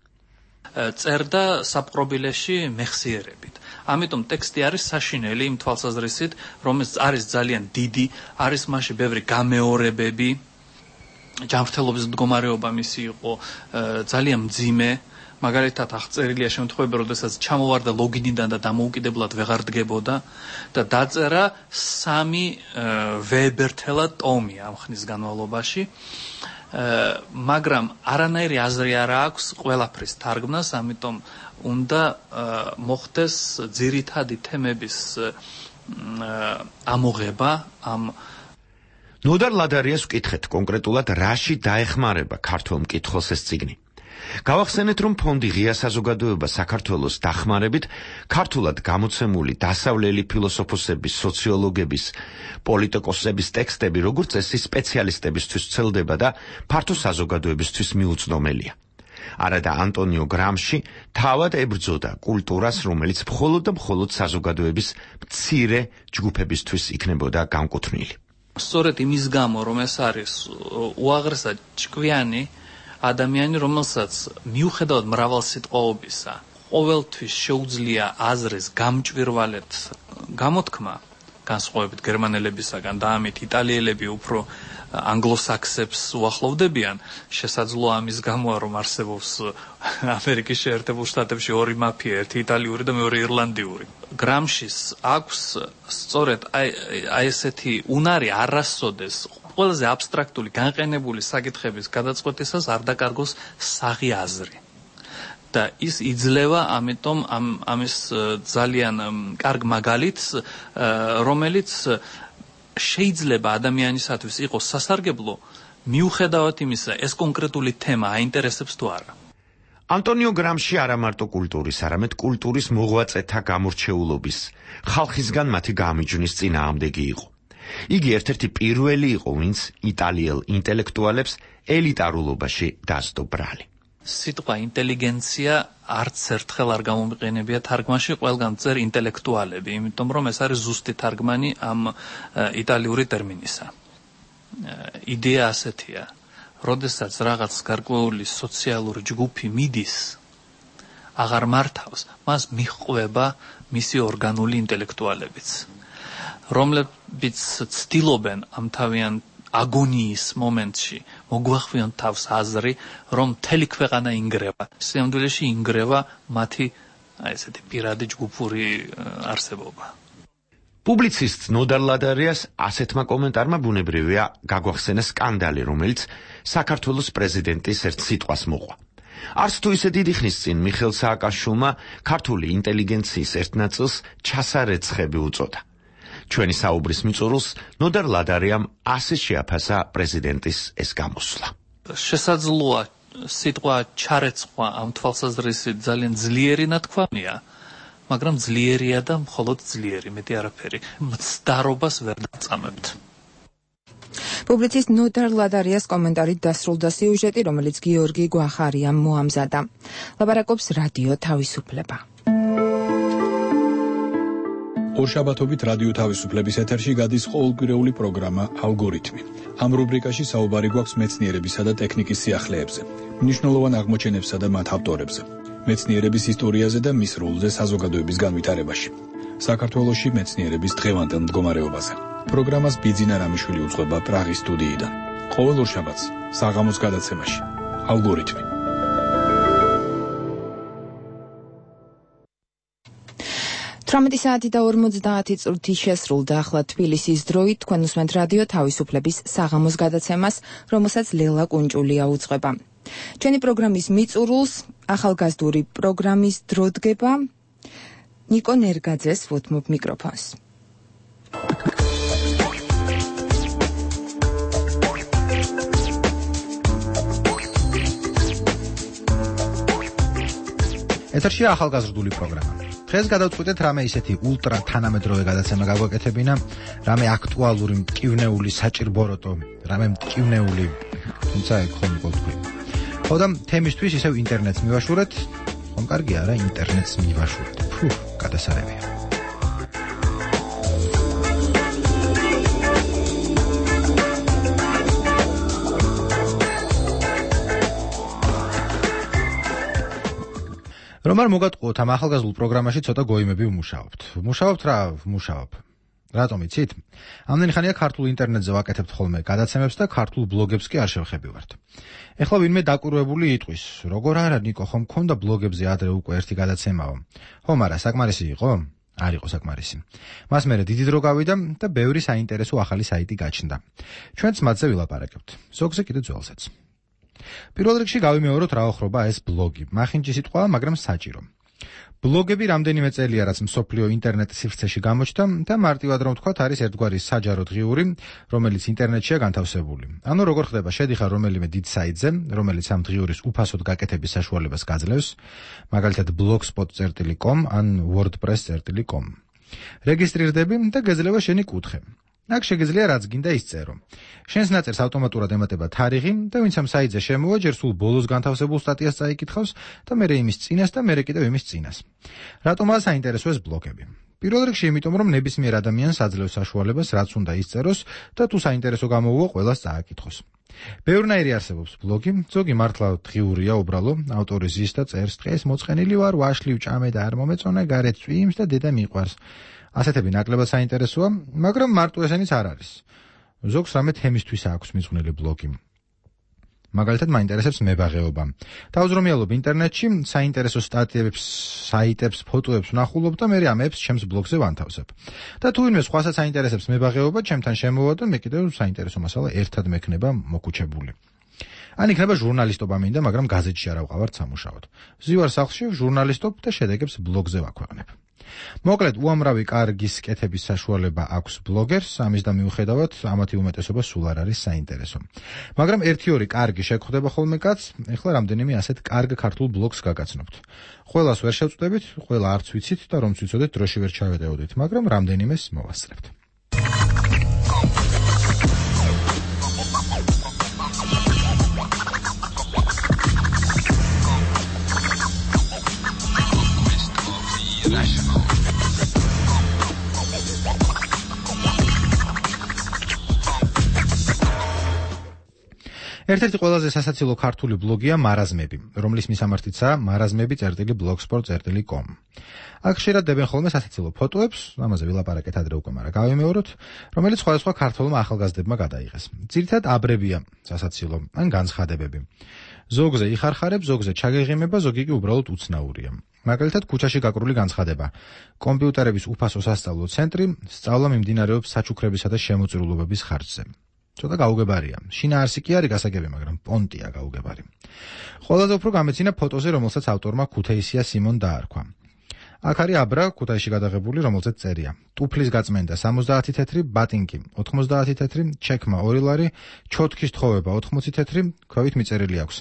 წერდა საპყრობილეში მეხსიერებით. ამიტომ ტექსტი არის საშინელი იმ თვალსაზრისით, რომელიც არის ძალიან დიდი, არის მასში ბევრი გამეორებები, ჯანმრთელობის მდგომარეობა მისი იყო ძალიან მძიმე, მაგალითად აღწერილია შემთხვევები, როდესაც ჩამოვარდა ლოგინიდან და დამოუკიდებლად ვეღარ დგებოდა და დაწერა სამი ვეებერთელა ტომი ამ ხნის განმავლობაში. მაგრამ არანაირი აზრი არ აქვს ყველაფრის თარგმნას, ამიტომ უნდა მოხდეს ძირითადი თემების ამოღება ამ ნოდარ ლადარიას ვკითხეთ კონკრეტულად რაში დაეხმარება ქართულ მკითხველს ეს წიგნი. გავახსენეთ, რომ ფონდი ღია საზოგადოება საქართველოს დახმარებით ქართულად გამოცემული დასავლელი ფილოსოფოსების, სოციოლოგების, პოლიტიკოსების ტექსტები, როგორც წესი სპეციალისტებისთვის ვრცელდება და ფართო საზოგადოებისთვის მიუწვდომელია. არადა ანტონიო გრამში თავად ებრძოდა კულტურას, რომელიც მხოლოდ და მხოლოდ საზოგადოების მცირე ჯგუფებისთვის იქნებოდა განკუთვნილი. სწორედ იმის გამო, რომ ეს არის უაღრესად ჭკვიანი ადამიანი, რომელსაც მიუხედავად მრავალსიტყვაობისა, ყოველთვის შეუძლია აზრის გამჭვირვალედ გამოთქმა, განსხვავებით გერმანელებისაგან და ამით იტალიელები უფრო ანგლოსაქსებს უახლოვდებიან, შესაძლოა ამის გამოა, რომ არსებობს ამერიკის შეერთებულ შტატებში ორი მაფია, ერთი იტალიური და მეორე ირლანდიური. გრამშის აქვს სწორედ აი ესეთი უნარი არასოდეს ყველაზე აბსტრაქტული განყენებული საკითხების გადაწყვეტისას არ დაკარგოს საღი აზრი. და ის იძლევა ამიტომ ამ ამის ძალიან კარგ მაგალითს, რომელიც შეიძლება ადამიანისათვის იყოს სასარგებლო, მიუხედავად იმისა, ეს კონკრეტული თემა აინტერესებს თუ არა. ანტონიო გრამში არა მარტო კულტურის, არამედ კულტურის მოღვაწეთა გამორჩეულობის, ხალხისგან მათი გამიჯვნის წინააღმდეგი იყო. იგი ერთ-ერთი პირველი იყო, ვინც იტალიელ ინტელექტუალებს ელიტარულობაში დასდო ბრალი. სიტყვა ინტელიგენცია არც ერთხელ არ გამომიყენებია თარგმანში, ყველგან წერ ინტელექტუალები, იმიტომ რომ ეს არის ზუსტი თარგმანი ამ იტალიური ტერმინისა. იდეა ასეთია, როდესაც რაღაც გარკვეული სოციალური ჯგუფი მიდის, აღარ მართავს, მას მიჰყვება მისი ორგანული ინტელექტუალებიც, რომლებიც ცდილობენ ამ თავიან აგონიის მომენტში მოგვახვიონ თავს აზრი, რომ მთელი ქვეყანა ინგრევა. სიამდვილეში ინგრევა მათი აი ესეთი პირადი ჯგუფური არსებობა. პუბლიცისტ ნოდარ ლადარიას ასეთმა კომენტარმა ბუნებრივია გაგვახსენა სკანდალი, რომელიც საქართველოს პრეზიდენტის ერთ სიტყვას მოყვა. არც თუ ისე დიდი ხნის წინ მიხეილ სააკაშვილმა ქართული ინტელიგენციის ერთ ნაწილს ჩასარეცხები უწოდა. ჩვენი საუბრის მიწურულს ნოდარ ლადარიამ ასე შეაფასა პრეზიდენტის ეს გამოსვლა. შესაძლოა სიტყვა ჩარეცხვა ამ თვალსაზრისით ძალიან ძლიერი ნათქვამია, მაგრამ ძლიერია და მხოლოდ ძლიერი, მეტი არაფერი. მცდარობას ვერ დაწამებთ. პუბლიცისტ ნოდარ ლადარიას კომენტარით დასრულდა სიუჟეტი, რომელიც გიორგი გვახარიამ მოამზადა. ლაპარაკობს რადიო თავისუფლება. ორშაბათობით რადიო თავისუფლების ეთერში გადის ყოველკვირეული პროგრამა ალგორითმი. ამ რუბრიკაში საუბარი გვაქვს მეცნიერებისა და ტექნიკის სიახლეებზე. მნიშვნელოვან აღმოჩენებსა და მათ ავტორებზე, მეცნიერების ისტორიაზე და მის როლზე საზოგადოების განვითარებაში. საქართველოში მეცნიერების დღევანდელ მდგომარეობაზე. პროგრამას ბიძინა რამიშვილი უძღვება პრაღის სტუდიიდან. ყოველ ორშაბათს საღამოს გადაცემაში. ალგორითმი. თვრამეტი საათი და ორმოცდაათი წუთი შესრულდა ახლა თბილისის დროით. თქვენ უსმენთ რადიო თავისუფლების საღამოს გადაცემას, რომელსაც ლელა კუნჭულია უძღვება. ჩვენი პროგრამის მიწურულს ახალგაზრდული პროგრამის დრო დგება. ნიკო ნერგაძეს ვუთმობ მიკროფონს. ეთერშია ახალგაზრდული პროგრამა. დღეს გადავწყვიტეთ რამე ისეთი ულტრა თანამედროვე გადაცემა გაგვეკეთებინა, რამე აქტუალური, მტკივნეული, საჭირბოროტო, რამე მტკივნეული, თუმცა ეგ ხომ იყო თქვი. ხო და თემისთვის ისევ ინტერნეტს მივაშურეთ, ხომ კარგია რა ინტერნეტს მივაშურეთ. ფუ, გადასარევია. რომ არ მოგატყუოთ ამ ახალგაზრდულ პროგრამაში ცოტა გოიმები ვმუშაობთ. ვმუშაობთ რა, ვმუშაობ. რატომ იცით? ამდენი ხანია ქართულ ინტერნეტზე ვაკეთებთ ხოლმე გადაცემებს და ქართულ ბლოგებს კი არ შევხებივართ. ეხლა ვინმე დაკვირვებული იტყვის, როგორ არა ნიკო, ხომ მქონდა ბლოგებზე ადრე უკვე ერთი გადაცემაო. ხო, მაგრამ საკმარისი იყო? არ იყო საკმარისი. მას მერე დიდი დრო გავიდა და ბევრი საინტერესო ახალი საიტი გაჩნდა. ჩვენც მათზე ვილაპარაკებთ. ზოგზე კიდე ძველსაც. პირველ რიგში გავიმეოროთ რა ოხრობა ეს ბლოგი. მახინჯი სიტყვა, მაგრამ საჭირო. ბლოგები რამდენიმე წელია რაც მსოფლიო ინტერნეტ სივრცეში გამოჩნდა და მარტივად რომ ვთქვათ, არის ერთგვარი საჯარო დღიური, რომელიც ინტერნეტშია განთავსებული. ანუ როგორ ხდება, შედიხარ რომელიმე დიდ საიტზე, რომელიც ამ დღიურის უფასოდ გაკეთების საშუალებას გაძლევს, მაგალითად blogspot dot com ან wordpress dot com. რეგისტრირდები და გეძლევა შენი კუთხე. აქ შეგიძლია რაც გინდა ისწერო. შენს ნაწერს ავტომატურად ემატება თარიღი და ვინც ამ საიტზე შემოვა, ჯერ სულ ბოლოს განთავსებულ სტატიას წაიკითხავს და მერე იმის წინას და მერე კიდევ იმის წინას. რატომაა საინტერესო ეს ბლოგები? პირველ რიგში იმიტომ, რომ ნებისმიერ ადამიანს აძლევს საშუალებას, რაც უნდა ისწეროს და თუ საინტერესო გამოუვა, ყველას წააკითხოს. ბევრნაირი არსებობს ბლოგი, ზოგი მართლა დღიურია უბრალო, ავტორი ზის და წერს, დღეს მოწყენილი ვარ, ვაშლი ვჭამე და არ მომეწონა, გარეთ წვიმს და დედა მიყვარს. ასეთები ნაკლებად საინტერესოა, მაგრამ მარტო ესენიც არ არის. ზოგს რამე თემისთვის აქვს მიზღვნილი ბლოგი. მაგალითად, მაინტერესებს მებაღეობა. დავუზრომიალობ ინტერნეტში საინტერესო სტატიებს, საიტებს, ფოტოებს ვნახულობ და მე ამებს ჩემს ბლოგზე ვანთავსებ. და თუ ვინმე სხვასაც საინტერესებს მებაღეობა, ჩემთან შემოვა და მე კიდევ საინტერესო მასალა ერთად მექნება მოგუჩებული. ან იქნება ჟურნალისტობა მინდა, მაგრამ გაზეთში არ ავყავართ სამუშაოდ. ვზივარ სახლში, ჟურნალისტობ და შედეგებს ბლოგზე ვაქვეყნებ. მოკლედ, უამრავი კარგის კეთების საშუალება აქვს ბლოგერს, ამის და მიუხედავად, ამათი უმეტესობა სულ არ არის საინტერესო. მაგრამ ერთი ორი კარგი შეგხვდება ხოლმე კაცს, ეხლა რამდენიმე ასეთ კარგ ქართულ ბლოგს გაგაცნობთ. ყველას ვერ შევწდებით, ყველა არც ვიცით და რომც ვიცოდეთ, დროში ვერ ჩავეტევოდით, მაგრამ რამდენიმეს მოვასწრებთ. ერთ-ერთი ყველაზე სასაცილო ქართული ბლოგია მარაზმები, რომლის მისამართიცაა მარაზმები წერტილი blogspot dot com. აქ ხშირად დებენ ხოლმე სასაცილო ფოტოებს, ამაზე ვილაპარაკეთ ადრე უკვე, მაგრამ გავიმეოროთ, რომელიც სხვადასხვა ქართველმა ახალგაზრდებმა გადაიღეს. ძირითადად აბრებია სასაცილო, ან განცხადებები. ზოგზე იხარხარებს, ზოგზე ჩაგეღიმება, ზოგი კი უბრალოდ უცნაურია. მაგალითად, ქუჩაში გაკრული განცხადება. კომპიუტერების უფასო სასწავლო ცენტრი, სწავლა მიმდინარეობს საჩუქრებისა და შემოწირულობების ხარჯზე. ცოტა გაუგებარია. შინაარსი კი არის გასაგები, მაგრამ პონტია გაუგებარი. ყველაზე უფრო გამეცინა ფოტოზე, რომელსაც ავტორმა ქუთაისია სიმონ დაარქვა. აქ არის აბრა ქუთაისში გადაღებული, რომელზეც წერია: ტუფლის გაწმენდა სამოცდაათი თეთრი, ბატინკი ოთხმოცდაათი თეთრი, ჩექმა ორი ლარი, ჩოთქის თხოვება ოთხმოცი თეთრი, ქვევით მიწერილი აქვს: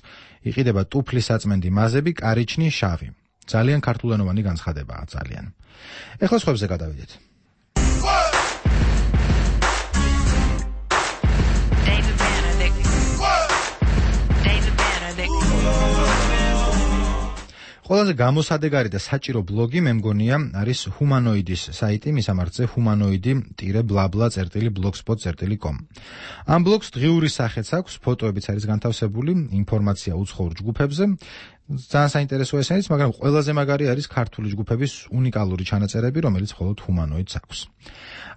იყიდება ტუფლის საწმენდი მაზები, კარიჩნი, შავი. ძალიან ქართულენოვანი განცხადებაა, ძალიან. ეხლა სხვებზე გადავიდეთ. ყველაზე გამოსადეგარი და საჭირო ბლოგი მე მგონია არის ჰუმანოიდის საიტი, მისამართზე humanoidi-blabla.blogspot dot com. ამ ბლოგს დღიური სახეც აქვს, ფოტოებიც არის განთავსებული, ინფორმაცია უცხოურ ჯგუფებზე. ძალიან საინტერესო ესენიც, მაგრამ ყველაზე მაგარი არის ქართული ჯგუფების უნიკალური ჩანაწერები, რომელიც მხოლოდ ჰუმანოიდს აქვს.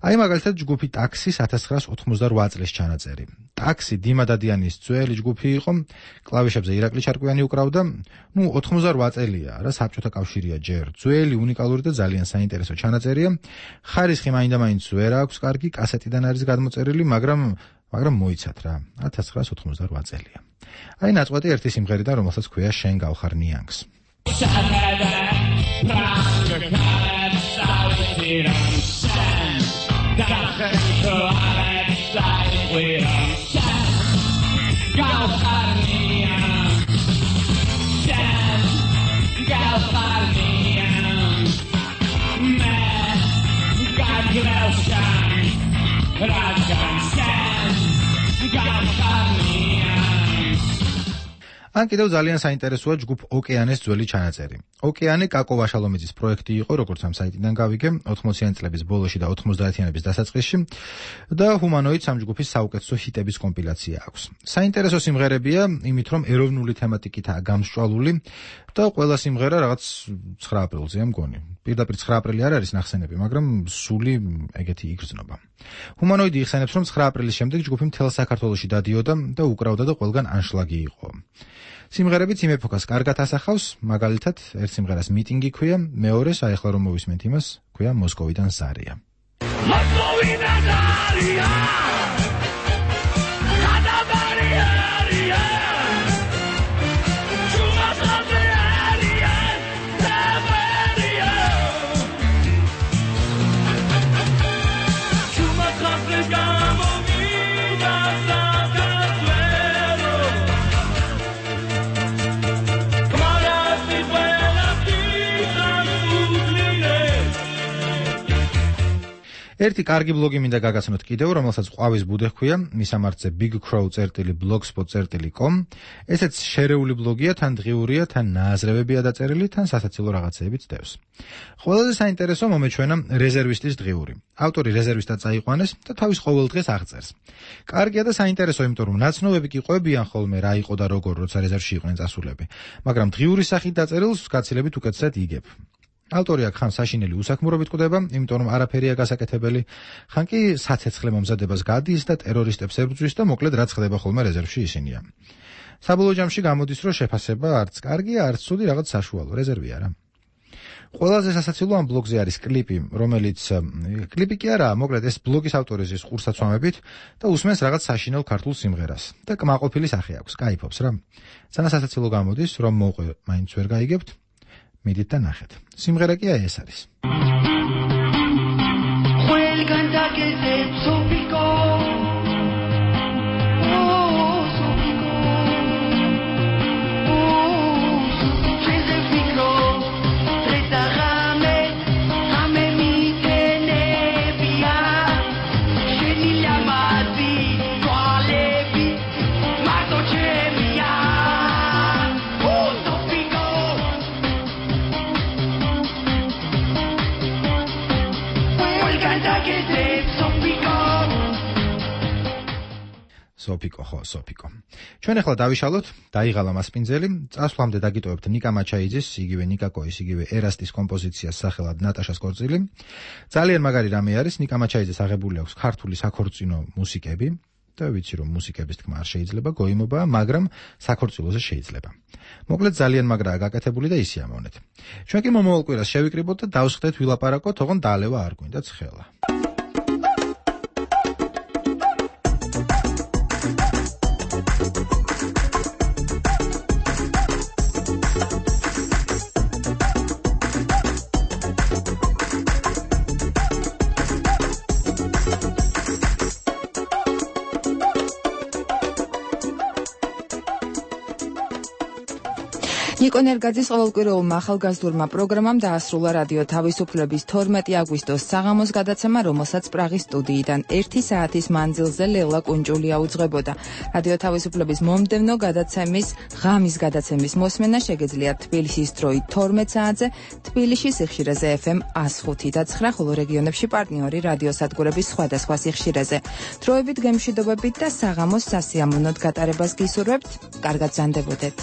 აი მაგალითად ჯგუფი ტაქსის ათას ცხრაას ოთხმოცდარვა წლის ჩანაწერი. ტაქსი დიმა დადიანის ძველი ჯგუფი იყო, კლავიშებზე ირაკლი ჩარკვიანი უკრავდა. ნუ ოთხმოცდარვა წელია, რა საბჭოთა კავშირია ჯერ. ძველი, უნიკალური და ძალიან საინტერესო ჩანაწერია. ხარისხი მაინდა-მაინც ვერ აქვს კარგი, კასეტიდან არის გადმოწერილი, მაგრამ მაგრამ მოიცათ რა. ათას ცხრაას ოთხმოცდარვა წელია. აი ნაწყვეტი ერთი სიმღერიდან, რომელსაც ქვია შენ გავხარ ნიანგს. ან კიდევ ძალიან საინტერესოა ჯგუფ ოკეანეს ძველი ჩანაწერი. ოკეანე კაკო ვაშალომიძის პროექტი იყო, როგორც ამ საიტიდან გავიგე, ოთხმოციანი წლების ბოლოში და ოცდაათიანების დასაწყისში და ჰუმანოიდს ამ ჯგუფის საუკეთესო ჰიტების კომპილაცია აქვს. საინტერესო სიმღერებია, იმით რომ ეროვნული თემატიკითაა გამსჭვალული და ყველა სიმღერა რაღაც ცხრა აპრილზეა მგონი. პირდაპირ ცხრა აპრილი არ არის ნახსენები, მაგრამ სული ეგეთი იგრძნობა. ჰუმანოიდი იხსენებს, რომ ცხრა აპრილის შემდეგ ჯგუფი მთელ საქართველოში დადიოდა და უკრავდა და ყველგან ანშლაგი იყო. სიმღერებიც იმ ეპოქას კარგად ასახავს, მაგალითად, ერთ სიმღერას მიტინგი ქვია, მეორეს, აი ახლა რომ მოვისმენთ იმას, ქვია მოსკოვიდან ზარია. მოსკოვიდან ზარია! ერთი კარგი ბლოგი მინდა გაგაცნოთ კიდევ, რომელსაც ყვავის ბუდე ჰქვია, მისამართზე big crow dot blogspot dot com. ესეც შერეული ბლოგია, თან დღიურია, თან ნააზრევებია დაწერილი, თან სასაცილო რაღაცეებიც დევს. ყველაზე საინტერესო მომეჩვენა რეზერვისტის დღიური. ავტორი რეზერვისტად წაიყვანეს და თავის ყოველ დღეს აღწერს. კარგია და საინტერესო, იმიტომ რომ ნაცნობები კი ყვებიან ხოლმე რა იყო და როგორ, როცა რეზერვში იყვნენ წასულები, მაგრამ დღიური სახით დაწერილს გაცილებით უკეთესად იგებ. ავტორი აქ ხან საშინელი უსაქმურობით კვდება, იმიტომ რომ არაფერია გასაკეთებელი, ხან კი საცეცხლე მომზადებას გადის და ტერორისტებს ებრძვის და მოკლედ რაც ხდება ხოლმე რეზერვში ისინია. საბოლოო ჯამში გამოდის, რომ შეფასება არც კარგია, არც ცუდი, რაღაც საშუალო, რეზერვი არა. ყველაზე სასაცილო ამ ბლოგზე არის კლიპი, რომელიც კლიპი კი არა, მოკლედ ეს ბლოგის ავტორის ის ყურსაცვამებით და უსმენს რაღაც საშინელ ქართულ სიმღერას და კმაყოფილი სახე აქვს, кайფობს რა. ძალიან სასაცილო გამოდის, რომ მოუყვე, მაინც ვერ გაიგებთ. მიდით და ნახეთ. სიმღერა კი ეს არის. სოფიკო ხო, სოფიკო. ჩვენ ახლა დავიშალოთ, დაიღალა მასპინძელი, წასვლამდე დაგიტოვებთ ნიკა მაჩაიძის, იგივე ნიკაკოის, იგივე ერასტის კომპოზიციას სახელად ნატაშას კორწილი. ძალიან მაგარი რამე არის, ნიკა მაჩაიძეს აღებული აქვს ქართული საქორწინო მუსიკები და ვიცი რომ მუსიკების თქმა არ შეიძლება, გოიმობაა, მაგრამ საქორწილოზე შეიძლება. მოკლედ ძალიან მაგრაა გაკეთებული და ისი ამოვნეთ. ჩვენ კი მომავალ კვირას შევიკრიბოთ და დავსხდეთ ვილაპარაკოთ, თողონ დალევა არ გვინდათ ხელა. ნიკო ნერგაძის ყოველკვირეულმა ახალგაზრდულმა პროგრამამ დაასრულა რადიო თავისუფლების თორმეტი აგვისტოს საღამოს გადაცემა, რომელსაც პრაღის სტუდიიდან ერთი საათის მანძილზე ლელა კუნჭულია უძღვებოდა. რადიო თავისუფლების მომდევნო გადაცემის ღამის გადაცემის მოსმენა შეგეძლიათ თბილისის დროით თორმეტ საათზე, თბილისში სიხშირეზე ეფ ემ ათს ხუთი და ცხრა, ხოლო რეგიონებში პარტნიორი რადიოსადგურების სხვადასხვა სიხშირეზე. დროებით გემშვიდობებით და საღამოს სასიამოვნოდ გატარებას გისურვებთ. კარგად ზანდებოდეთ.